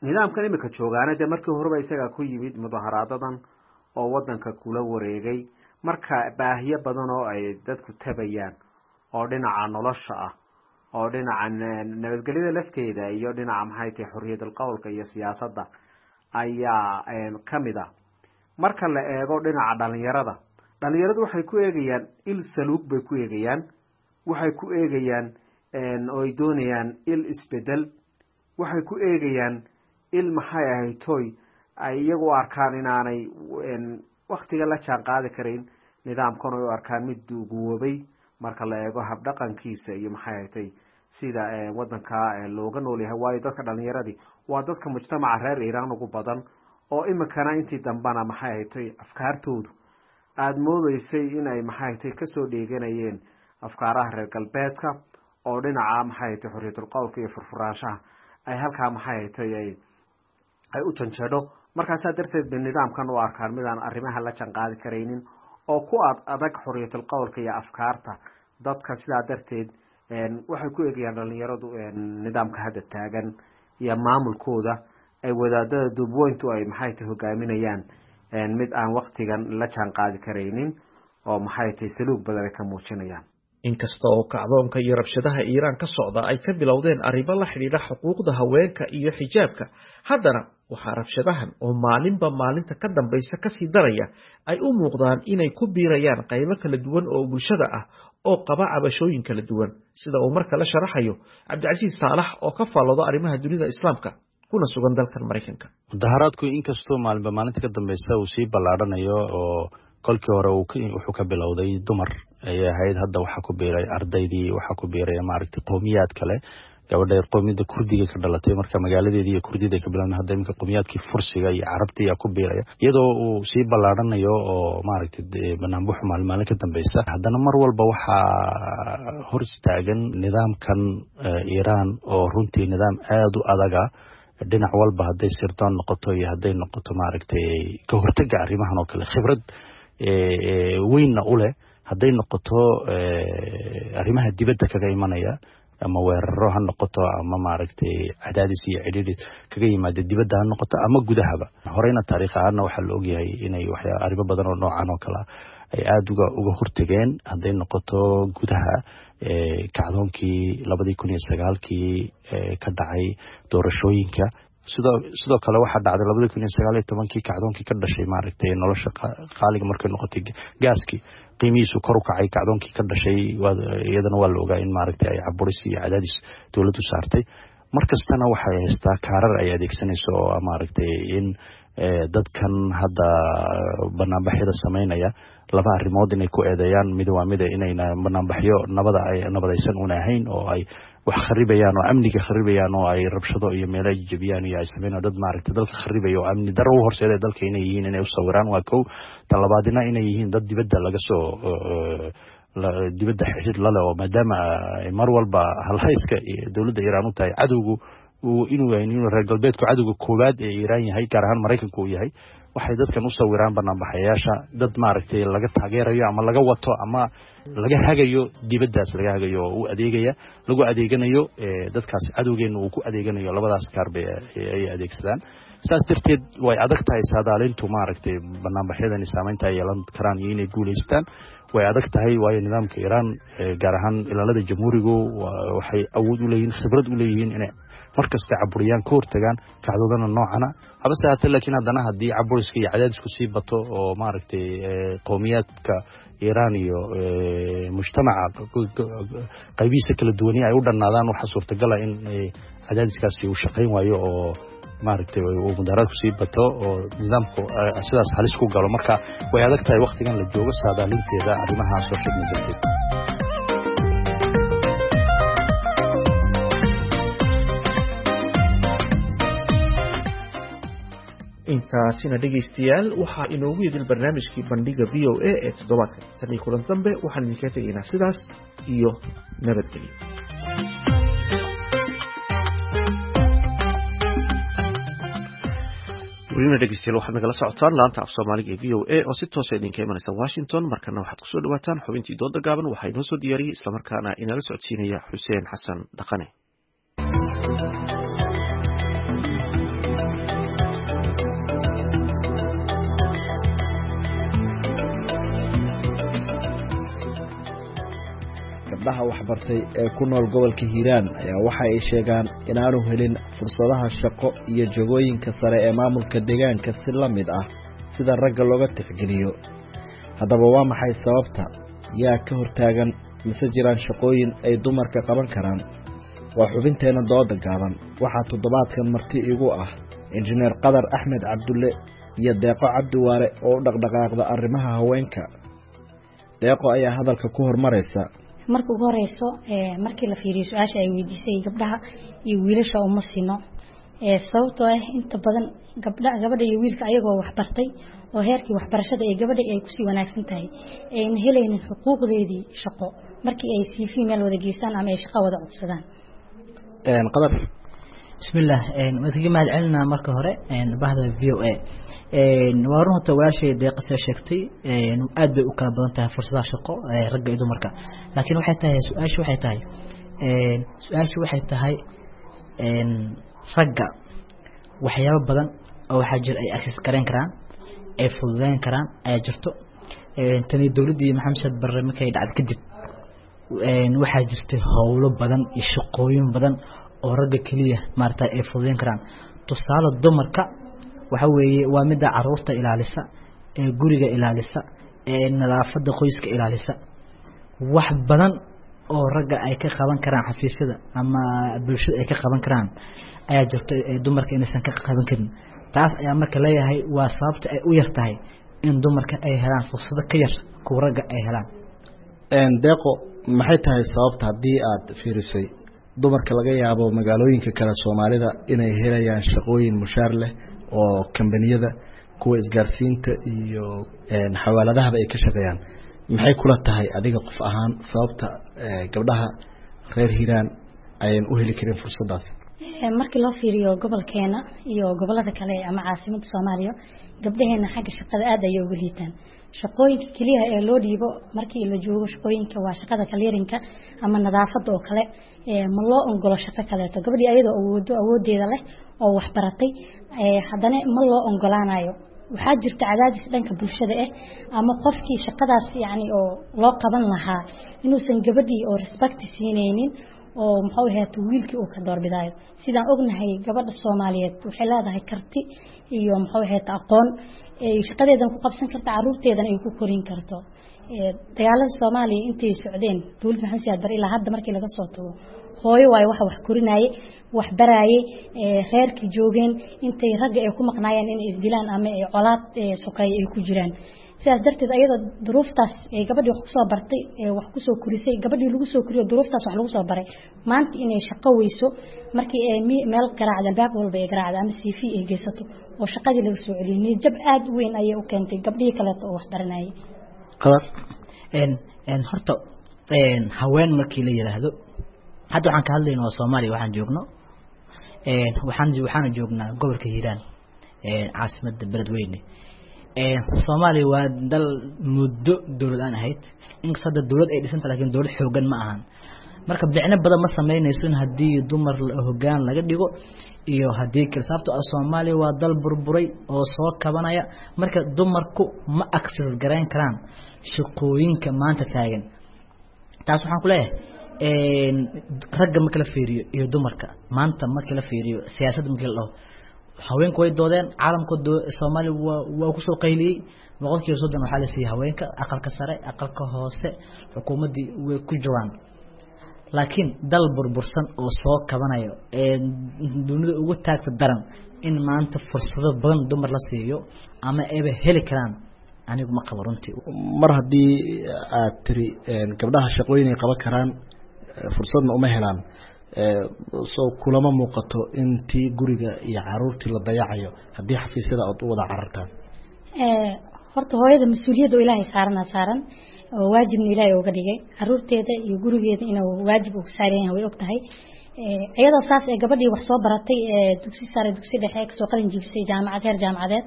nidaamkan iminka joogaana dee markii horeba isagaa ku yimid mudaharaadadan oo wadanka kula wareegay. Marka baahiyo badan oo ay dadku tabayaan oo dhinaca nolosha ah oo dhinaca nabadgelyada lafteeda iyo dhinaca maxay tahay xorriyadul qowlka iyo siyaasadda ayaa kamid ah. Marka la eego dhinaca dhalinyarada, dhalinyaradu waxay ku eegayaan il saluug bay ku eegayaan, waxay ku eegayaan oo ay doonayaan il isbedel, waxay ku eegayaan il maxay ahayd toy ay iyagu u arkaan inaanay waktiga la jaan qaadi karayn nidaamkan, oy u arkaan mid duugoobay marka la eego habdhaqankiisa iyo maxay ahatay sida wadanka looga nool yahay. Waayo dadka dhalinyaradii waa dadka mujtamaca reer Iiraan ugu badan, oo iminkana intii dambena maxay ahatay afkaartoodu aada moodeysay inay maxay ahatay kasoo dheeganayeen afkaaraha reer galbeedka oo dhinaca maxay ahatay xorriyatul qowlka iyo furfuraanshaha ay halkaa maxay ahatay ay ay u janjeedho. Markaasaa darteed bay nidaamkan u arkaan midaan arrimaha la jaan qaadi karaynin oo ku ad adag xorriyatul qowlka iyo afkaarta dadka. Sidaa darteed waxay ku eegayaan dhalinyaradu nidaamka hadda taagan iyo maamulkooda ay wadaadada duubweyntu ay maxay tahay hogaaminayaan mid aan waktigan la jaan qaadi karaynin oo maxay tahay saluug badan ay ka muujinayaan. Inkasta oo kacdoonka iyo rabshadaha Iiraan ka socda ay ka bilowdeen arrimo la xidhiidha xuquuqda haweenka iyo xijaabka, haddana waxaa rabshadahan oo maalinba maalinta ka dambaysa kasii daraya ay u muuqdaan inay ku biirayaan qaybo kala duwan oo bulshada ah oo qaba cabashooyin kala duwan, sida uu marka la sharaxayo Cabdicasiis Saalax oo ka faallooda arrimaha dunida Islaamka kuna sugan dalkan Maraykanka. Mudaharaadku inkastoo maalinba maalinta ka dambeysa uu sii ballaadhanayo, oo kolkii hore wuxuu ka bilowday dumar ayay ahayd, hadda waxaa ku biiray ardaydii, waxaa ku biiray maaragtay qowmiyaad kale, gabadha qowmiyadda Kurdiga ka dhalatay, marka magaaladeedii iyo Kurdida ka bilaabmay, hadda iminka qowmiyaadkii Fursiga iyo Carabta ayaa ku biiraya, iyadoo uu sii ballaadhanayo oo maaragtay banaanbuxu maalin maalin ka dambeysa, haddana mar walba waxaa hor istaagan nidaamkan Iiraan oo runtii nidaam aada u adaga dhinac walba, hadday sirdoon noqoto iyo hadday noqoto maaragtay ka hortega arrimahan oo kale, khibrad weynna u leh. Hadday noqoto arrimaha dibadda kaga imanaya, ama weeraro ha noqoto, ama maaragtay cadaadis iyo cidhiidhi kaga yimaada dibadda ha noqoto ama gudahaba. Horeyna taariikh ahaanna waxaa la ogyahay inay waxyaa arrimo badan oo noocan oo kale ay aada uga uga hortageen. Hadday noqoto gudaha, kacdoonkii labadii kun iyo sagaalkii ka dhacay doorashooyinka, sidoo sidoo kale waxaa dhacday labadii kun iyo sagaal iyo tobankii kacdoonkii ka dhashay maaragtay nolosha qaaliga markay noqotay, gaaskii qiimihiisu kor u kacay, kacdoonkii ka dhashay iyadana waa la ogaa in maaragtay ay caburis iyo cadaadis dowladdu saartay. Mar kastana waxay haystaa kaarar ay adeegsanayso oo maaragtay in dadkan hadda banaanbaxyada sameynaya laba arrimood inay ku eedeeyaan. Mid waa mida inayna banaanbaxyo nabada ay nabadaysan una ahayn, oo ay wax kharibayaan oo amniga kharibayaan oo ay rabshado iyo meelo ay jebiyaan iyo ay sameynayaan, dad maaragtay dalka kharibaya oo amni darro u horseeday dalka inay yihiin inay u sawiraan, waa kow. Tan labaadina inay yihiin dad dibadda laga soo dibadda xiriir lale, oo maadaama mar walba halhayska dowladda Iiraan u tahay cadowgu inuu inuu reer galbeedku cadowga koowaad ee Iiraan yahay, gaar ahaan Maraykanku uu yahay, waxay dadkan u sawiraan banaanbaxayaasha dad maaragtay laga taageerayo ama laga wato ama laga hagayo dibaddaas, laga hagayo oo u adeegaya, lagu adeeganayo dadkaas cadowgeena uu ku adeeganayo. Labadaas kaar bay ay adeegsadaan. Saas darteed way adag tahay saadaalintu maaragtay banaanbaxyadani saameynta ay yeelan karaan iyo inay guulaystaan way adag tahay, waayo nidaamka Iiraan, gaar ahaan ilaalada jamhuurigu, waxay awood u leeyihiin, khibrad u leeyihiin inay markasta caburiyaan, ka hortagaan kacdoodana noocana. Habase haatee laakiin haddana haddii caburiska iyo cadaadisku sii bato oo maaragtay qowmiyaadka Iiraan iyo mujtamaca qaybihiisa kala duwani ay u dhannaadaan, waxaa suurtagala in cadaadiskaasi uu shaqayn waayo oo maaragtay uu mudaharaadku sii bato oo nidaamku sidaas halis ku galo. Marka way adag tahay waktigan la joogo saadaalinteeda arrimaha soo sheegna darteed. Intaasina dhegaystayaal waxaa inoogu idil barnaamijkii bandhiga V O A ee toddobaadkan. Tan iyo kulan dambe waxaan idinkaga tegaynaa sidaas iyo nabadgelyo. Welina dhegeystayaal waxaad nagala socotaan laanta af soomaaliga ee V O A oo si toosa idinka imanaysa Washington. Markana waxaad kusoo dhawaataan xubintii dooda gaaban, waxaa inoo soo diyaariyey islamarkaana inala socodsiinaya Xuseen Xasan Dhaqane. Gabdhaha waxbartay ee ku nool gobolka Hiiraan ayaa waxa ay sheegaan inaanu helin fursadaha shaqo iyo jagooyinka sare ee maamulka deegaanka si la mid ah sida ragga looga tixgeliyo. Haddaba waa maxay sababta? Yaa ka hortaagan? Mise jiraan shaqooyin ay dumarka qaban karaan? Waa xubinteena dooda gaaban. Waxaa toddobaadkan marti igu ah injineer Qadar Axmed Cabdulle iyo Deeqo Cabdiwaare oo u dhaqdhaqaaqda arrimaha haweenka. Deeqo ayaa hadalka ku hormaraysa. Marka ugu horeyso, markii la fiiriyo su-aasha ay weydiisay, gabdhaha iyo wiilasha uma sino, sababtoo ah inta badan gabdha gabadha iyo wiilka ayagoo waxbartay oo heerkii waxbarashada ee gabadha ay kusii wanaagsan tahay ayna helaynin xuquuqdeedii shaqo markii ay C V meel wada geystaan ama ay shaqo wada codsadaan. Qadar. Bismillaah, waan iskaga mahad celinaa marka hore bahda V O A. Waa run horta walaashay Deeqase sheegtay, aad bay u kala badan tahay fursadaha shaqo ragga iyo dumarka, laakiin waxay tahay su-aashu waxay tahay su-aashu waxay tahay ragga waxyaabo badan oo waxaa jira ay access gareyn karaan, ay fududeyn karaan ayaa jirto. Tani dowladdii Maxamed Saad Barre markay dhacday kadib waxaa jirtay howlo badan iyo shaqooyin badan oo ragga keliya maarata ay fududeyn karaan. Tusaale, dumarka waxa weeye waa midda caruurta ilaalisa, ee guriga ilaalisa, ee nadaafadda qoyska ilaalisa. Wax badan oo ragga ay ka qaban karaan xafiisyada ama bulshada ay ka qaban karaan ayaa jirta ee dumarka inaysan ka qaban karin. Taas ayaa marka leeyahay waa sababta ay u yar tahay in dumarka ay helaan fursado ka yar kuwa ragga ay helaan. Deeqo, maxay tahay sababta haddii aad fiirisay dumarka laga yaabo magaalooyinka kale Soomaalida inay helayaan shaqooyin mushaar leh oo kambaniyada kuwa isgaarsiinta iyo xawaaladahaba ay ka shaqeeyaan, maxay kula tahay adiga qof ahaan sababta gabdhaha reer Hiiraan ayan u heli karin fursadaas? Markii loo fiiriyo gobolkeena iyo gobolada kale ama caasimadda Soomaaliya, gabdhaheena xagga shaqada aad ayay uga liitaan. Shaqooyinka kaliya ee loo dhiibo markii la joogo shaqooyinka waa shaqada kaliirinka ama nadaafadda oo kale. Ma loo ogolo shaqo kaleeto gabadhii ayadoo awoodo awoodeeda leh oo wax baratay, haddana ma loo ogolaanayo. Waxaa jirta cadaadis dhanka bulshada ah ama qofkii shaqadaas yacni oo loo qaban lahaa inuusan gabadhii oo respect siinaynin oo muxuu ahayd wiilkii uu ka doorbidaayo. Sidaan ognahay gabadha Soomaaliyeed waxay leedahay karti iyo muxuu ahayd aqoon ay shaqadeedan ku qabsan karto, caruurteedan ay ku korin karto. Dagaalada Soomaaliya intay socdeen dowladda Maxamed Siyaad Barre ilaa hadda markii laga soo tago, hooyo waayo waxa wax korinaaye, wax baraaye, reerkii joogeen intay ragga ay ku maqnaayeen inay isdilaan ama ay colaad sokeeye ay ku jiraan. Sidaas darteed ayadoo duruuftaas ay gabadhii wax kusoo bartay, wax kusoo korisay, gabadhii lagu soo koriyo duruuftaas wax lagu soo baray, maanta inay shaqo weyso markii ay meel garaacda, albaab walba ay garaacda ama C V ay geysato oo shaqadii laga soo celiyay, niyad jab aad u weyn ayay u keentay gabdhihii kaleeto oo wax baranayay. Qadar, een een horta een haween markii la yiraahdo, hadda waxaan ka hadlaynaa waa Soomaaliya waxaan joogno, een waxaan waxaan joognaa gobolka Hiiraan, een caasimadda Beledweyne. Een Soomaaliya waa dal muddo dowlad aan ahayd, inkastoo hadda dowlad ay dhisanta laakiin dowlad xoogan ma ahan. Marka bicno badan ma sameynayso in haddii dumar hoggaan laga dhigo iyo haddii kale, sababtoo ah Soomaaliya waa dal burburay oo soo kabanaya. Marka dumarku ma access garayn karaan shaqooyinka maanta taagan. Taas waxaan ku leeyahay een ragga marka la fiiriyo iyo dumarka maanta marka la fiiriyo siyaasadda marka la dhaho, haweenku way doodeen, caalamka Soomaaliya waa waa ku soo qayliyey. Boqolkiiba soddon waxaa la siiyey haweenka, aqalka sare, aqalka hoose, xukuumaddii way ku jiraan. Laakiin dal burbursan oo soo kabanayo ee dunida ugu taagta daran in maanta fursado badan dumar la siiyo ama ayba heli karaan, anigu ma qabo runtii. Mar haddii aad tiri gabdhaha shaqooyin ay qaban karaan fursadna uma helaan, soo kulama muuqato in tii guriga iyo caruurtii la dayacayo haddii xafiisyada aad u wada carartaan? Horta hooyada mas-uuliyadda oo Ilaahay saarana saaran oo waajibna Ilaahay uga dhigay caruurteeda iyo gurigeeda inuu waajib uga saaran yahay way og tahay. Iyadoo saas ee gabadhii wax soo baratay ee dugsi sare, dugsi dhexe kasoo qalin jibisay, jaamacad, heer jaamacadeed,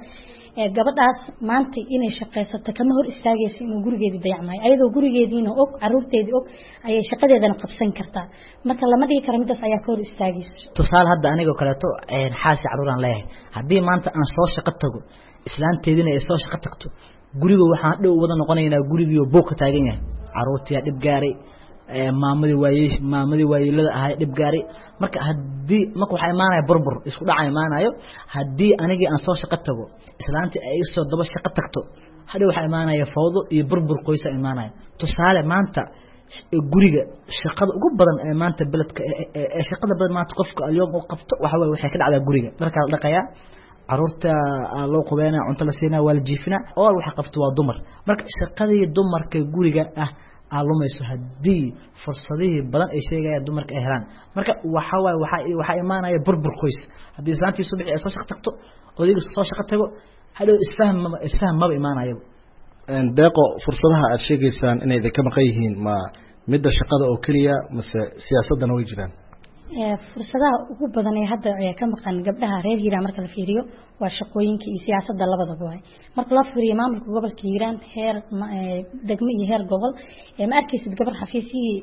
gabadhaas maanta inay shaqaysato kama hor istaagayso inuu gurigeedii dayacmayo. Ayadoo gurigeediina og, caruurteedii og, ayay shaqadeedana qabsan kartaa. Marka lama dhihi karo midaas ayaa ka hor istaagayso. Tusaale hadda anigoo kaleeto xaasi caruuraan leeyahay, haddii maanta aan soo shaqo tago islaanteedina ay soo shaqo tagto, guriga waxaan dhow wada noqonaynaa gurigiioo buuq ka taagan yahay, caruurtiyaa dhib gaaray, maamadii waayey maamadii waayeelada ahay dhib gaaray. Marka haddii marka waxaa imaanaya burbur isku dhaca imaanayo. Haddii anigii aan soo shaqo tago islaantii ay soo daba shaqo tagto, hadhow waxaa imaanaya fawdo iyo burbur qoysa imaanaya. Tusaale maanta guriga shaqada ugu badan ee maanta beledka ee shaqada badan maanta qofka alyoom uu qabto waxa waaye waxay ka dhacdaa guriga. Dharkaa la dhaqayaa, caruurta loo qubeynaa, cunto la siinaa, waa la jiifinaa, oo waxa qabto waa dumar. Marka shaqadii dumarka guriga ah aa lumayso haddii fursadihii badan ay sheegayaan dumarka ay helaan. Marka waxa waaye waxaa waxaa imaanaya burbur qoys haddii islaantii subaxii ay soo shaqo tagto, odaygu soo shaqo tago, hadhow isfaham maba isfaham maba imaanayo. Deeqo, fursadaha aad sheegaysaan inay idinka maqan yihiin ma midda shaqada oo keliya mase siyaasaddana way jiraan? Fursadaha ugu badan ee hadda ka maqan gabdhaha reer Hiiraan marka la fiiriyo waa shaqooyinka iyo siyaasadda labadaba waay. Marka loo fiiriyo maamulka gobolka Hiiraan heer degmo iyo heer gobol, ma arkaysid gabar xafiisyihii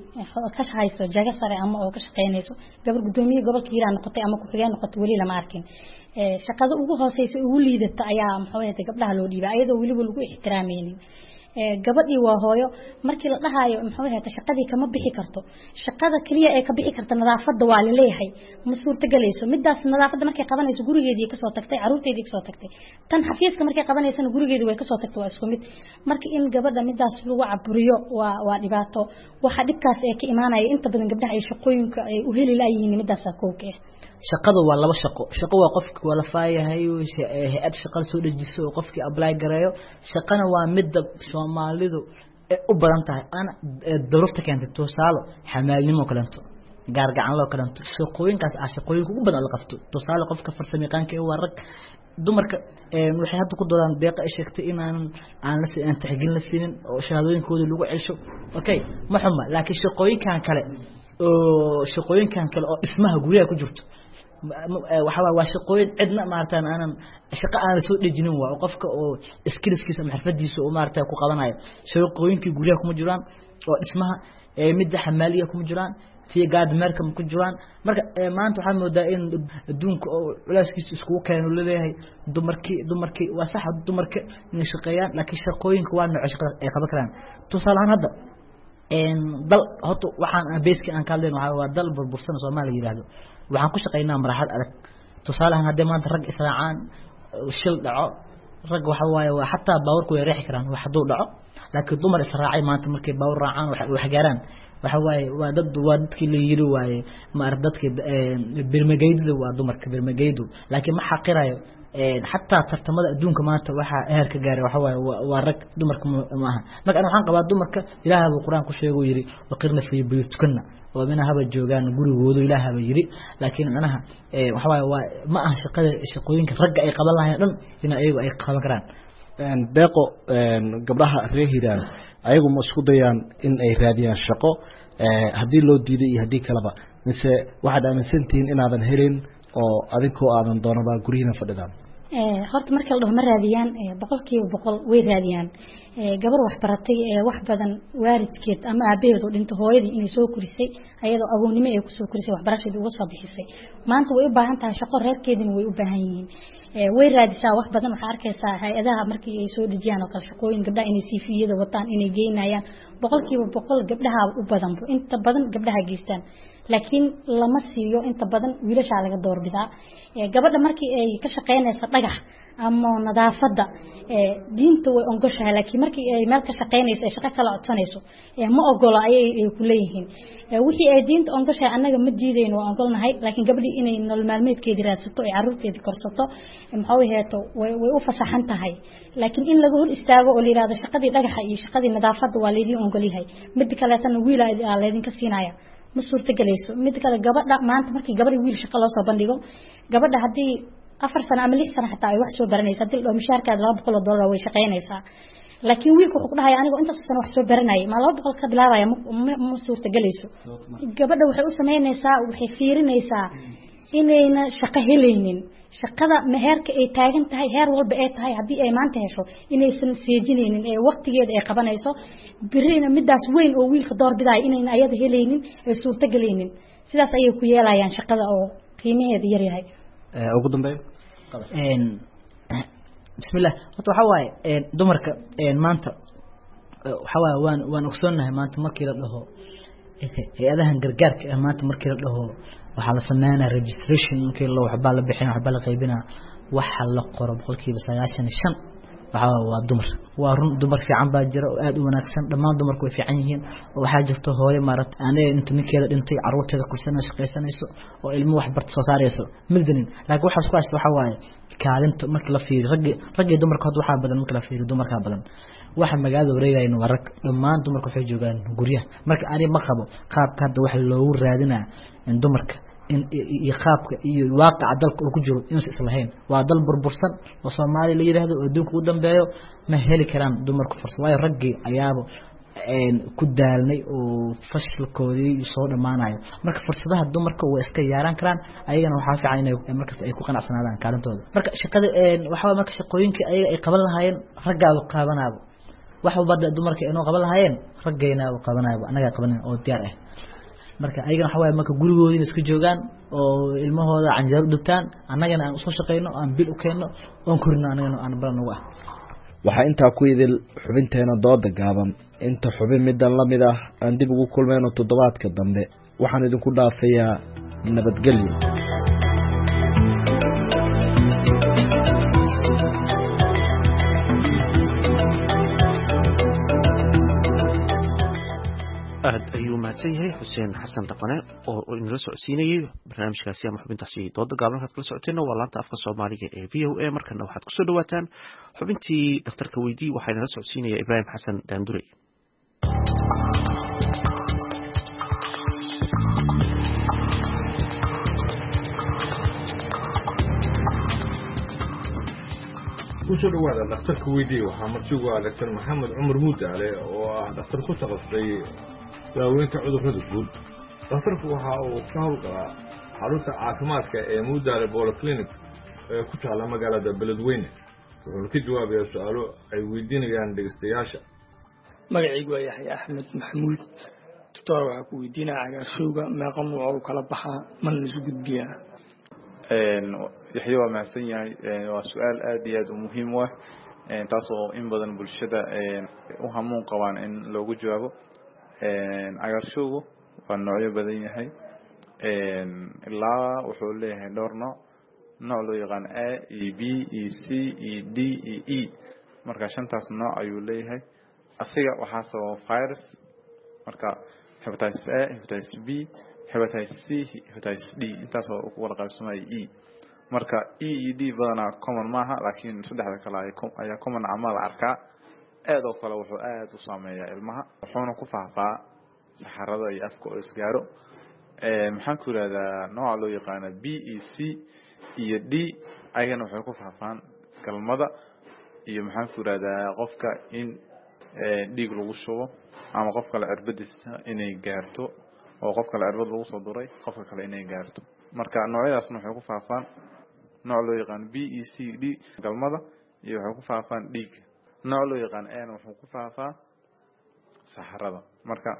ka hayso jago sare ama oo ka shaqeynayso. Gabar guddoomiye gobolka Hiiraan noqotay ama ku-xigeen noqotay weli lama arkin. Shaqada ugu hooseysa ugu liidata ayaa muxuu ahayd gabdhaha loo dhiibaa, ayadoo weliba lagu ixtiraamaynin. Gabadhii waa hooyo, markii la dhahayo muxuu ahayd shaqadii kama bixi karto, shaqada kaliya ee ka bixi karta nadaafadda waa la leeyahay, ma suurtagelayso midaas. Nadaafadda markay qabanayso gurigeedii kasoo tagtay, caruurteedii kasoo tagtay, tan xafiiska markay qabanaysana gurigeedii way kasoo tagtay, waa isku mid. Marka in gabadha midaas lagu caburiyo waa waa dhibaato. Waxa dhibkaas ee ka imaanaya inta badan gabdhaha ay shaqooyinka ay u heli laayihiin midaasaa kowka ah. Shaqadu waa laba shaqo. Shaqo waa qofki waa la faayahay hay-ad shaqada soo dejiso oo qofkii apply gareeyo. Shaqana waa midda Soomaalidu ay u badan tahay ana duruufta keentay, tusaale xamaalnimo kaleeto, gaargacanlo kaleeto. Shaqooyinkaas ah shaqooyinka ugu badan la qabto. Tusaale qofka farsamayaqaanka ee waa rag, dumarka waxay hadda ku doodaan deeqa ay sheegtay inaan aan la aan tixgelin la siinin oo shahaadooyinkooda lagu cesho. Okay, ma xuma, laakiin shaqooyinkan kale oo shaqooyinkan kale oo dhismaha guryaha ku jirto Waxa waa shaqooyin cidna maaragtay aanan shaqo aanan soo dhejinin, waa qofka oo skillskiisa ama xirfadiisa oo maaragtay ku qabanayo. Shaqooyinkii guryaha kuma jiraan oo dhismaha, midda xamaaliga kuma jiraan, tii gaadmeerka ma ku jiraan. Marka maanta waxaa moodaa in adduunka oo culeyskiisa iskugu keeno laleeyahay dumarkii dumarkii waa sax dumarka inay shaqeeyaan, laakiin shaqooyinka waa nooco shaqada ay qaban karaan. Tusaale ahaan hadda dal horta waxaan beeski aan ka hadlayno waxaa waa dal burbursan Soomaaliya yiraahdo, waxaan ku shaqeynaa marxalad adag. Tusaale ahaan haddii maanta rag israacaan shil dhaco, rag waxa waaye waa xataa baawarku way riixi karaan wax hadduu dhaco, laakiin dumar israacay maanta markay baawar raacaan wax wax gaaraan waxa waaye waa dad waa dadkii la yiri waaye maar dadkii birmageydu waa dumarka birmageydu. Laakiin ma xaqirayo xataa tartamada adduunka maanta waxa heer ka gaaray waxa waaye waa rag, dumarka ma aha. Marka ana waxaan qabaa dumarka Ilaahay buu Quraan ku sheegay yiri waqirna fi buyutikunna, oo mina haba joogaan gurigoodu Ilaahay baa yiri. Laakiin macnaha waxa waaye waa ma aha shaqada shaqooyinka ragga ay qaban lahayn dhan in ayagu ay qaban karaan. Deeqo, gabdhaha reer Hiiraan ayagu ma isku dayaan in ay raadiyaan shaqo haddii loo diiday iyo haddii kaleba, mise waxaad aaminsantihiin inaadan helin oo adinkoo aadan doonaba guryihiina fadhidaan? Horta marka la dhaho ma raadiyaan, boqolkiiba boqol way raadiyaan. Gabar wax baratay ee wax badan waalidkeed ama aabaheed oo dhinto hooyadii inay soo korisay ayadoo agoonnimo ay kusoo korisay waxbarashadii uga soo bixisay, maanta way u baahan tahay shaqo, reerkeedina way u baahan yihiin, way raadisaa wax badan. Waxaa arkaysaa hay-adaha markii ay soo dejiyaan oo kale shaqooyin gabdhaha inay siifiyada wataan inay geynayaan, boqolkiiba boqol gabdhaha u badanbo, inta badan gabdhaha geystaan, laakiin lama siiyo inta badan wiilashaa laga doorbidaa. Gabadha markii ay ka shaqeynaysa dhagax ama nadaafadda diinta way ogoshahay, laakiin markii ay meel ka shaqeynayso ay shaqo kala codsanayso ma ogolo ayay ay ku leeyihiin. Wixii ay diinta ogoshahay annaga ma diidayno, waa ogolnahay, laakiin gabadhii inay nolol maalmeedkeedii raadsato ay carruurteedii korsato maxuu heeto way way u fasaxan tahay, laakiin in laga hor istaago oo la yidhaahdo shaqadii dhagaxa iyo shaqadii nadaafadda waa laydin ogolyahay, mid kaleetana wiil aa laydinka siinaya, ma suurtagelayso. Mid kale gabadha maanta markii gabadha wiil shaqo loo soo bandhigo, gabadha haddii afar sano ama lix sano xataa ay wax soo baranaysa, haddii la dhaho mishaarkaada laba boqol oo dollar way shaqaynaysaa, laakiin wiilka wuxuu ku dhahaya anigoo intaas sano wax soo baranayay ma laba boqol ka bilaabaya, ma ma suurtagelayso. Gabadha waxay u samaynaysaa waxay fiirinaysaa inayna shaqo helaynin, shaqada heerka ay taagan tahay heer walba ay tahay haddii ay maanta hesho inaysan seejinaynin ee waqtigeeda ay qabanayso, birina midaas weyn oo wiilka door bidaya inayna ayada helaynin ay suurtagelaynin, sidaas ayay ku yeelayaan shaqada oo qiimaheeda yar yahay. Ugu dambeyn, bismillah, horta waxaa waaye dumarka maanta waxaa waaye waan waan ogsoonnahay maanta markii la dhaho hay-adahan gargaarka ah, maanta markii la dhaho waxaa la sameynaa registration, markii la waxbaa la bixina waxbaa la qaybinaa, waxa la qoro boqolkiiba sagaashan iyo shan waxaa waaye waa dumar. Waa run dumar fiican baa jira oo aada u wanaagsan, dhammaan dumarku way fiican yihiin, oo waxaa jirto hooyo maaragta aniga inta ninkeeda dhintay carruurteeda kursanayso shaqaysanayso oo ilmo wax barta soo saarayso middanin, laakiin waxaas ku haysta waxaa waaye kaalinta marka la fiiriyo raggi raggi dumarka hadda waxaa badan marka la fiiriyo dumarkaa badan. Waxa magaalada wareegayna waa rag, dhammaan dumarka waxay joogaan guryaha. Marka aniga ma qabo qaabka hadda waxa loogu raadinaa in dumarka in iyo qaabka iyo waaqaca dalka uu ku jiro inuusan islahayn. Waa dal burbursan oo Soomaaliya la yiraahdo oo adduunka ugu dambeeyo, ma heli karaan dumarku fursad, waayo raggii ayaaba ku daalnay oo fashilkoodii soo dhammaanayo. Marka fursadaha dumarka way iska yaaraan karaan, ayagana waxaa fiican inay markasta ay ku qanacsanaadaan kaalintooda. Marka shaqada waxaa marka shaqooyinka ayaga ay qaban lahaayeen raggaaba qaabanaaba, wax walba dumarka inoo qaban lahaayeen raggaynaaba qabanaaba, annagaa qabanan oo diyaar ah. Marka ayagana waxa waaye marka gurigoodina iska joogaan oo ilmahooda canjeero u dubtaan, annagana aan usoo shaqeyno aan bil u keenno oon korino annagana aan balan ugu ah. Waxaa intaa ku idil xubinteena dooda gaaban. Inta xubin middan la mid ah aan dib ugu kulmayno toddobaadka dambe, waxaan idinku dhaafayaa nabadgelyo. Aad ayuu mahadsan yahay Xuseen Xasan Dhaqane oo inala socodsiinayay barnaamijkaasi ama xubintaasi dooda gaaban. Halkaad kala socoteenna waa laanta afka Soomaaliga ee V O A. Markana waxaad kusoo dhawaataan xubintii dhakhtarka weydii, waxaa inala socodsiinaya Ibraahim Xasan Daandurey. Kusoo dhawaada dhakhtarka weydii. Waxaa martigu ah Doctor Maxamed Cumar Muudaale oo ah dhakhtar ku takhasusay daaweynta cudurrada guud. Dhakhtarku waxa uu ka howlgalaa Xarunta caafimaadka ee Mudaale Polyclinic ee ku taalla magaalada Beledweyne. Wuxuuna ka jawaabayaa su-aalo ay weydiinayaan dhegeystayaasha. Magacaygu waa Yaxya Axmed Maxamuud. Doctor, waxaa ku weydiinaya cagaarshowga meeqa nuuc u kala baxaa, mana laisu gudbiyaa? Yaxya waa mahadsan yahay. Waa su-aal aad iyo aad u muhiim u ah, taas oo in badan bulshada u hamuun qabaan in loogu jawaabo. Cagaarshowgu waa noocyo badan yahay, ilaa wuxuu leeyahay dhowr nooc. Nooc loo yaqaan A iyo B iyo C iyo D iyo E. Marka shantaas nooc ayuu leeyahay. Asiga waxaa sababa virus, marka hepatitis A, hepatitis B, hepatitis C, hepatitis D, intaas oo ku wada qaybsamaya E. Marka E iyo D badanaa common maaha, laakiin saddexda kale ayaa common ama la arkaa. Aad oo kale wuxuu aad u saameeyaa ilmaha, wuxuuna ku faafaa saxarada iyo afka oo isgaaro. Maxaan ku yidhahdaa, nooca loo yaqaano B e C iyo D ayagana waxay ku faafaan galmada iyo maxaan ku yidhahdaa qofka in dhiig lagu shubo ama qof kale cirbadiisa inay gaarto, oo qof kale cirbad lagu soo duray qofka kale inay gaarto. Marka noocyadaasna waxay ku faafaan nooc loo yaqaano B e C D galmada iyo waxay ku faafaan dhiigga. Nooc loo yaqaano ana wuxuu ku faafaa saxarada. Marka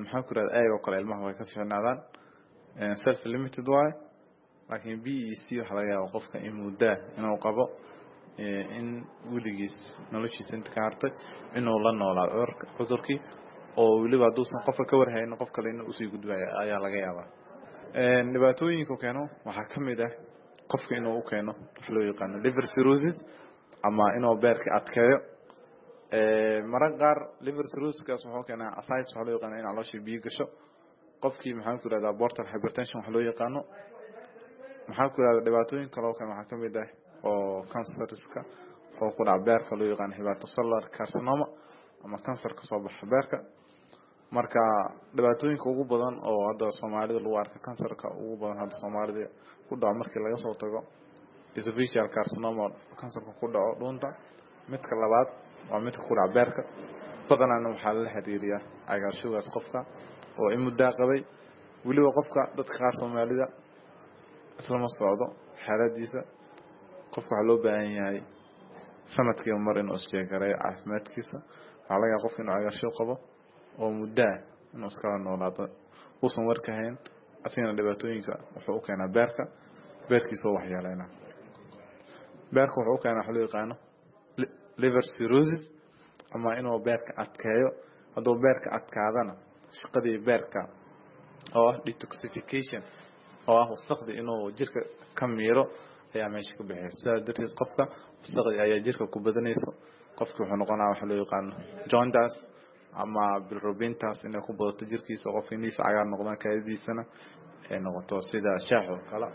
maxaan ku yidhahdaa, ayagoo kale ilmaha way ka fiicnaadaan, self limited waaye, laakiin B e C waxaa laga yaaba qofka in muddaa inuu qabo, in weligiis noloshiisa inta ka hartay inuu la noolaado cudurkii, oo weliba hadduusan qofka ka warhaynin qof kale inuu usii gudbayo ayaa laga yaabaa. Dhibaatooyinka keeno waxaa ka mid ah qofka inuu u keeno wax loo yaqaano liver cirrhosis ama inuu beerka adkeeyo. Mararka qaar liver cirrhosiskaas wuxuu keenaa ascites, waxaa loo yaqaano in caloosha biyo gasho qofkii. Maxaan ku yidhahdaa, portal hypertension wax loo yaqaano. Maxaan ku yidhahdaa, dhibaatooyin kale oo kale waxaa ka mid ah oo kansariska oo ku dhaca beerka loo yaqaano hepatocellular carcinoma ama kansar ka soo baxa beerka. Marka dhibaatooyinka ugu badan oo hadda Soomaalida lagu arko, kansarka ugu badan hadda Soomaalida ku dhaco, markii laga soo tago esophageal carcinoma, kansarka ku dhaco dhuunta, midka labaad waa midka ku dhaca beerka. Badanaana waxaa lala xiriiriyaa cagaarshowgaas qofka oo in muddaa qabay. Weliba qofka dadka qaar Soomaalida islama socdo xaaladiisa. Qofka waxaa loo baahan yahay sanadkiiba mar inuu isjeegareeyo caafimaadkiisa. Waxaa laga yaaba qofka inuu cagaarshow qabo oo muddaa inuu iskala noolaado uusan warka hayn. Asigana dhibaatooyinka wuxuu u keenaa beerka, beerkiisa oo waxyeeleynaa. Beerka wuxuu u keenaa waxa loo yaqaano liver cirrhosis ama inuu beerka adkeeyo. Hadduu beerka adkaadana, shaqadii beerka oo ah detoxification, oo ah wasaqdii inuu jirka ka miiro, ayaa meesha ka bixiyay. Sidaas darteed qofka wasaqdii ayaa jirka ku badanayso. Qofki wuxuu noqonaya waxa loo yaqaano jaundice ama bilirubintaas inay ku badato jirkiisa, qofka indhihiisa cagaar noqdaan, kaadidiisana ay noqoto sida shaax oo kale.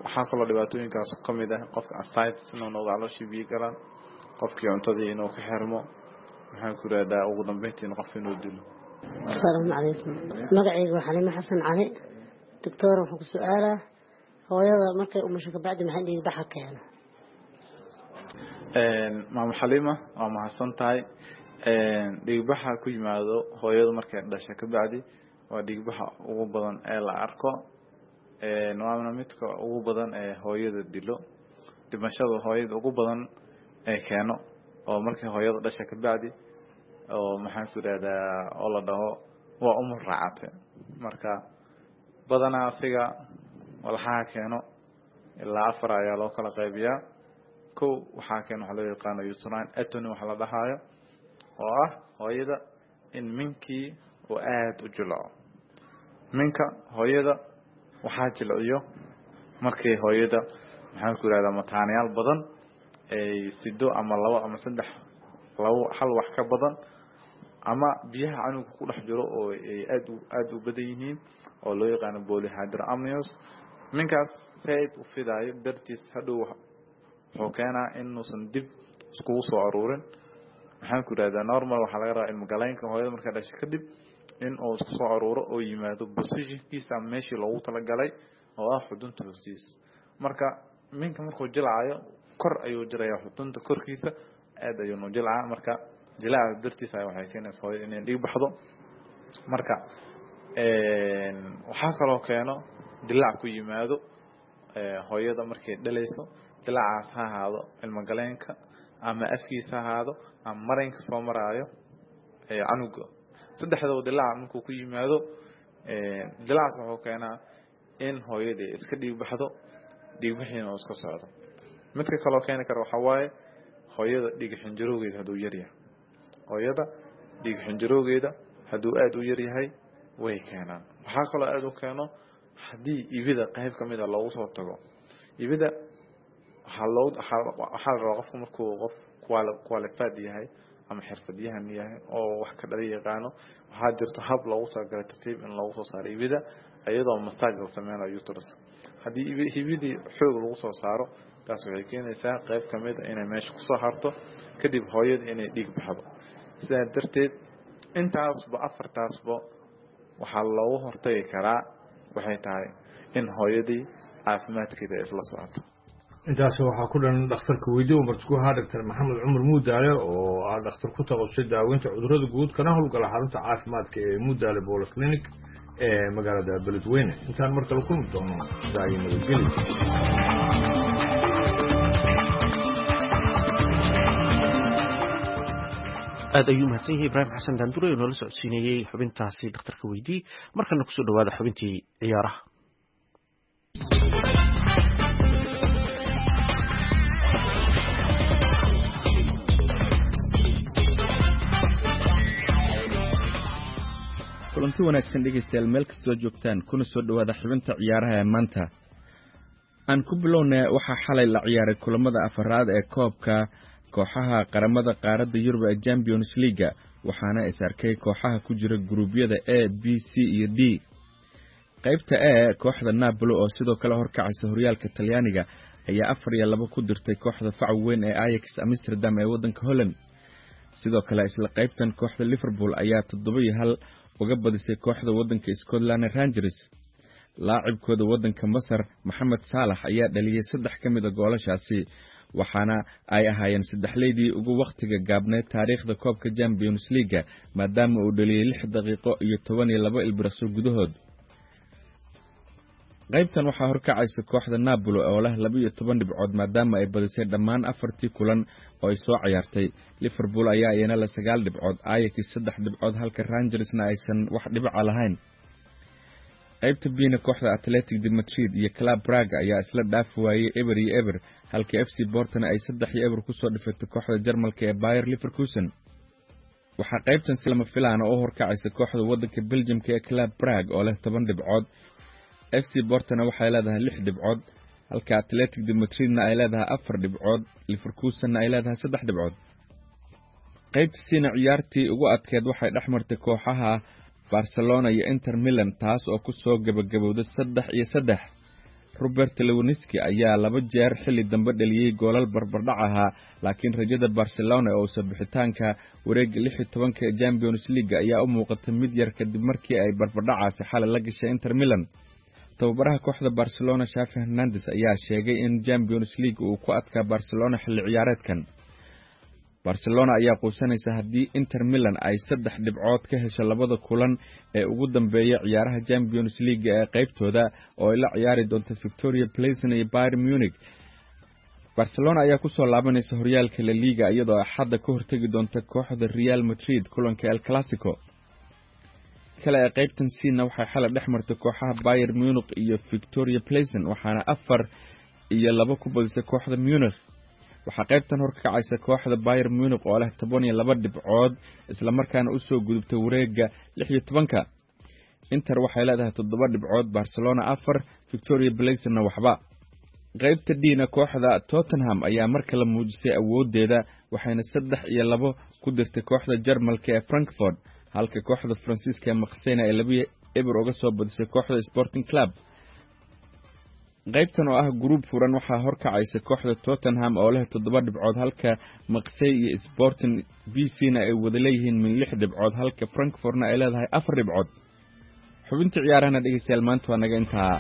Waxaa kaloo dhibaatooyinkaas ka mid ah qofka ascites inuu noqdo, calooshii biyo galaan, qofkii cuntadii inuu ka xirmo, maxaan ku yidhahdaa, ugu dambeyntiina qofka inuu dilo. Asalaamu calaykum. Magacayga waa Xaliimo Xasan Cali. Doctor, waxaan ku su-aalaa hooyada markay umusho kabacdi maxay dhiig baxa keeno? Maamo Xaliima, waa mahadsan tahay. Dhiigbaxa ku yimaado hooyadu markay dhasho kabacdi waa dhiigbaxa ugu badan ee la arko, waana midka ugu badan ee hooyada dilo, dhimashada hooyada ugu badan ee keeno, oo markay hooyada dhasha kabacdi oo maxaan ku yidhahdaa oo la dhaho waa umur raacate. Marka badanaa asiga walxaha keeno ilaa afar ayaa loo kala qaybiyaa. Kow, waxaa keeno waxa loo yaqaano uterine atony waxa la dhahaayo, oo ah hooyada in minkii uu aada u jilco. Minka hooyada waxaa jilciyo markay hooyada maxaan ku yidhahdaa mataanayaal badan ay sido, ama labo ama saddex, labo hal wax ka badan, ama biyaha canuga ku dhex jiro oo ay aad u aada u badan yihiin oo loo yaqaano polyhydramnios. Minkaas saaid u fidaayo dartiis hadhow wuxuu keenaa inuusan dib iskugu soo aruurin. Maxaan ku yidhahdaa, normal waxaa laga rabaa ilmogaleynka hooyada markay dhashay kadib in uu isku soo aruuro oo yimaado positionkiisa ama meeshii loogu talagalay oo ah xudunta hoostiisa. Marka minka markuu jilcayo kor ayuu jirayaa, xudunta korkiisa aad ayuunu jilcaa. Marka jilaaca dartiisa waxay keenaysa hooyada inay dhiig baxdo. Marka Waxaa kaloo keeno dilaac ku yimaado hooyada markay dhalayso. Dilaacaas ha ahaado ilmagaleenka ama afkiisa ha ahaado ama marinka soo maraayo canuga. Saddexdaba dilaaca markuu ku yimaado, dilaacaas wuxuu keenaa in hooyadii iska dhiig baxdo, dhiigbixiina uu iska socdo. Midka kaloo keeni kara waxaa waaye hooyada dhiig xinjirowgeeda hadduu yaryahay. Hooyada dhiig xinjirowgeeda hadduu aada u yaryahay way keenaan. Waxaa kaloo aada u keeno haddii ibida qayb ka mida loogu soo tago. Ibida waxaa loo waxaa la rabaa qofku markuu qof qualified yahay ama xirfadyahan yahay oo wax ka dhala yaqaano, waxaa jirto hab loogu talagalay tartiib in loogu soo saaro ibida iyadoo massage la sameynayo uterus. Haddii ibidii xoog lagu soo saaro, taas waxay keenaysaa qayb ka mid a inay meesha kusoo harto, kadib hooyada inay dhiig baxdo. Sidaa darteed intaasba afartaasba waxaa loogu hortagi karaa waxay tahay in hooyadii caafimaadkeeda ay isla socoto. Intaas waxaa ku dhan dhakhtarka weydiiyo martiku ahaa Doctor Maxamed Cumar Muudaale oo ah dhakhtar ku takhasusay daaweynta cudurrada guud kana howlgala xarunta caafimaadka ee Muudaale Polyclinic ee magaalada Beledweyne. Intaan mar kale kulmi doono, daayo nabadgelyo. Aad ayuu mahadsan yahay Ibraahim Xasan Daandure oo noola socodsiinayey xubintaasi dhakhtarka weydii. Markana kusoo dhawaada xubintii ciyaaraha. Kulanti wanaagsan dhegaystayaal, meel kastoo joogtaan, kuna soo dhowaada xubinta ciyaaraha ee maanta. Aan ku bilownay, waxaa xalay la ciyaaray kulamada afaraad ee koobka kooxaha qaramada qaaradda Yurub ee Champions Leaga, waxaana is arkay kooxaha ku jira guruubyada A, B, C iyo D. Qaybta E, kooxda Napoli oo sidoo kale horkacaysa horyaalka Talyaaniga ayaa afar iyo laba ku dirtay kooxda faca weyn ee Ajax Amsterdam ee waddanka Holland. Sidoo kale isla qaybtan, kooxda Liverpool ayaa toddoba iyo hal uga badisay kooxda waddanka Scotland Rangers. Laacibkooda waddanka Masar Maxamed Saalax ayaa dhaliyey saddex ka mid a goolashaasi, waxaana ay ahaayeen saddexleydii ugu wakhtiga gaabneed taariikhda koobka Champions Leaga, maadaama uu dhaliyey lix daqiiqo iyo toban iyo laba ilbiriqso gudahood. Qaybtan waxaa horkacaysa kooxda Napoli oo leh laba iyo toban dhibcood, maadaama ay badisay dhammaan afartii kulan oo ay soo ciyaartay. Liverpool ayaa iyana leh sagaal dhibcood, Ajax saddex dhibcood, halka Rangersna aysan wax dhibica lahayn. Qaybta B-na, kooxda Athletic de Madrid iyo Club Braga ayaa isla dhaafi waayey eber iyo eber, halka F C Portona ay saddex iyo eber kusoo dhifatay kooxda Jarmalka ee Bayer Leverkusen. Waxaa qaybtan si lama filaana u horkacaysa kooxda waddanka Belgiumka ee Club Brugge oo leh toban dhibcood. F C Portona waxay leedahay lix dhibcood, halka Athletic de Madridna ay leedahay afar dhibcood, Leverkusenna ay leedahay saddex dhibcood. Qaybta C-na, ciyaartii ugu adkeed waxay dhex martay kooxaha Barcelona iyo Inter Milan, taas oo ku soo gebagabowday saddex iyo saddex. Robert Lewandowski ayaa laba jeer xilli dambe dhaliyey goolal barbardhac ahaa, laakiin rajada Barcelona oo soo bixitaanka wareegga lix iyo tobanka ee Champions League ayaa u muuqatay mid yar kadib markii ay barbardhacaasi xalay la gashay Inter Milan. Tababaraha kooxda Barcelona Xavi Hernandez ayaa sheegay in Champions League uu ku adkaa Barcelona xilli ciyaareedkan. Barcelona ayaa quusanaysa haddii Inter Milan ay saddex dhibcood ka hesho labada kulan ee ugu dambeeya ciyaaraha Champions League ee qaybtooda oo ay la ciyaari doonto Victoria Plzen iyo Bayern Munich. Barcelona ayaa kusoo laabanaysa horyaalka La Liga iyadoo Axadda ka hortegi doonta kooxda Real Madrid kulanka El Clasico. Kale ee qaybtan C-na waxay xalay dhex martay kooxaha Bayern Munich iyo Victoria Plzen, waxaana afar iyo laba ku badisay kooxda Munich. Waxaa qaybtan horkacaysa kooxda Bayern Munich oo leh toban iyo laba dhibcood, islamarkaana usoo gudubtay wareegga lix iyo tobanka. Inter waxay leedahay toddoba dhibcood, Barcelona afar, Victoria Plzenna waxba. Qaybta D-na, kooxda Tottenham ayaa mar kale muujisay awooddeeda, waxayna saddex iyo labo ku dirtay kooxda Jarmalka ee Frankfurt, halka kooxda Faransiiska ee Marseille ay laba eber uga soo badisay kooxda Sporting Club. Qaybtan oo ah guruub furan waxaa horkacaysa kooxda Tottenham oo leh toddoba dhibcood, halka Marseille iyo Sporting B C na ay wada leeyihiin min lix dhibcood, halka Frankfurtna ay leedahay afar dhibcood. Xubinta ciyaarahana dhegeystayaal maanta waa naga intaa.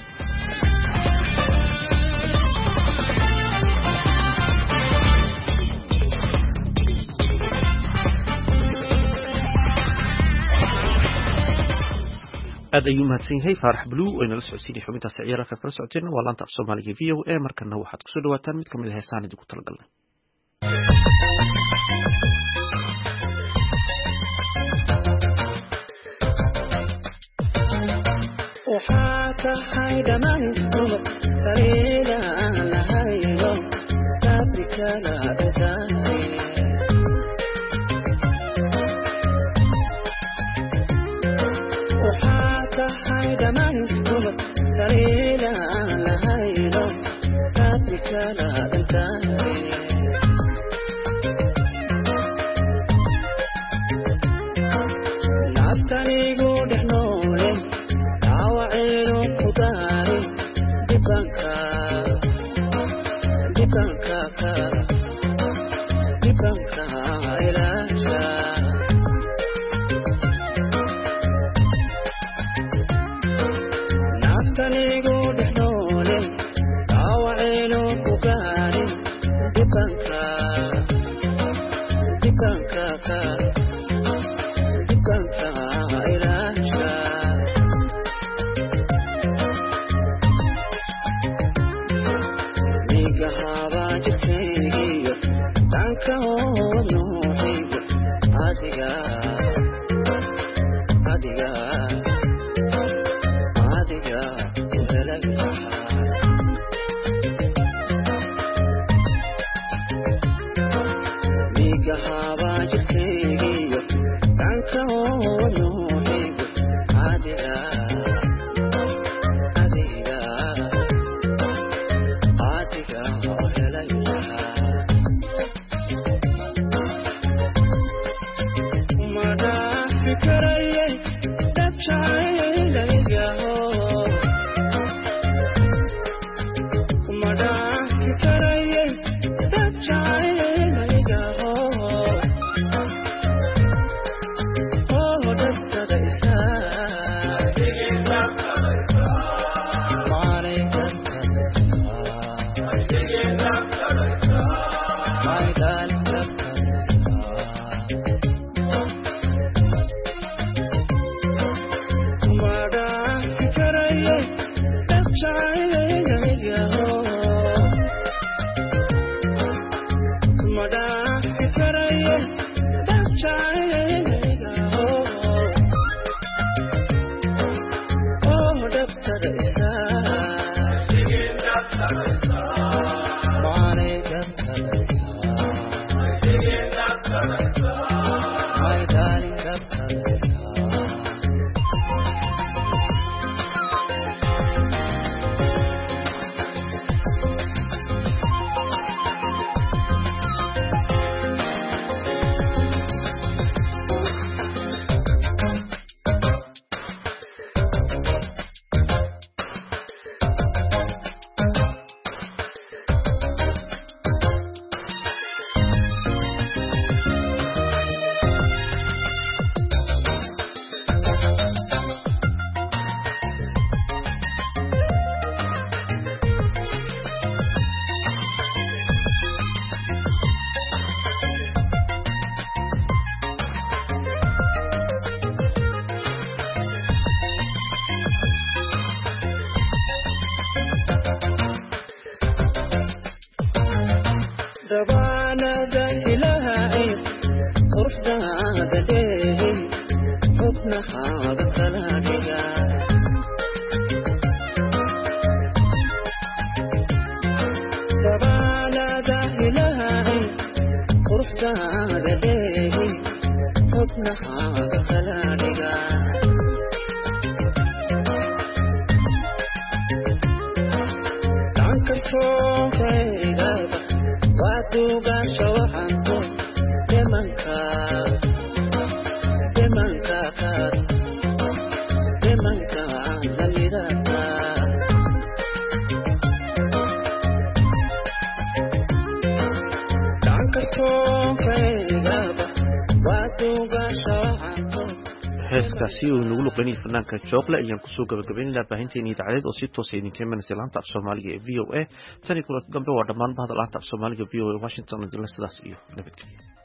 Aad ayuu mahadsan yahay Faarax Blue oo inala socodsiinay xubintaasi ciyaarka. Kala socoteen waa laanta af Soomaaliga V O A. Markana waxaad kusoo dhawaataan mid kamid ah heesahan idinku talagalnay. Waxaa tahay dhammaystur sariida aan lahayno taabikala dhantahay. Waxaa tahay dhammaystur sariida aan lahayno taabikala dhantahay. Naftanigu dhex noole dhaawacaynu ku gaarin dhibanka dhibanka dhibanka ilaasha. Naftanigu dhex noole dhaawacaynu ku gaarin dhibanka dhibanka dhibanka ilaasha. Migahaaba jirkaygiyo dhanka nuuxiyo adiga adiga adiga ku helay raxa. Migahaaba jirkaygiyo dhanka nuuxiyo adiga adiga adiga oo helay raxa. Ma dhaafi karayay dad jacaylaygaho, ma dhaafi karayay dad jacaylaygaho oo dhabtada isaa maanay dhabtada isaa my darling dhabtada isaa. Ma dhaafi karayay dad jacaylaygaho, ma dhaafi karayay dad jacaylaygaho oo dhabtada isaa maanay dhabtada isaa my darling dhabtada isaa. Rabaanada ilaahay quruxdaada dheehin xubnahaaga kala dhiga. Rabaanada ilaahay quruxdaada dheehin xubnahaaga kala dhiga. Dhankastoo kaygaba waa duugaasha waxaanku dhimanka dhimanka qaar dhimanka lamidaka. Dhankastoo kaygaba waa duugaasha waxaanku. Heeskaasi uu inagu luqeynayay fanaanka Jooqle ayaan kusoo gabagabaynaynaa baahinteena idaacadeed oo si toosa idinka imanaysa laanta af Soomaaliga ee V O A. Tan iyo kulanti dambe, waa dhammaan bahda laanta af Soomaaliga V O A Washington idinle sidaas iyo nabadgelyo.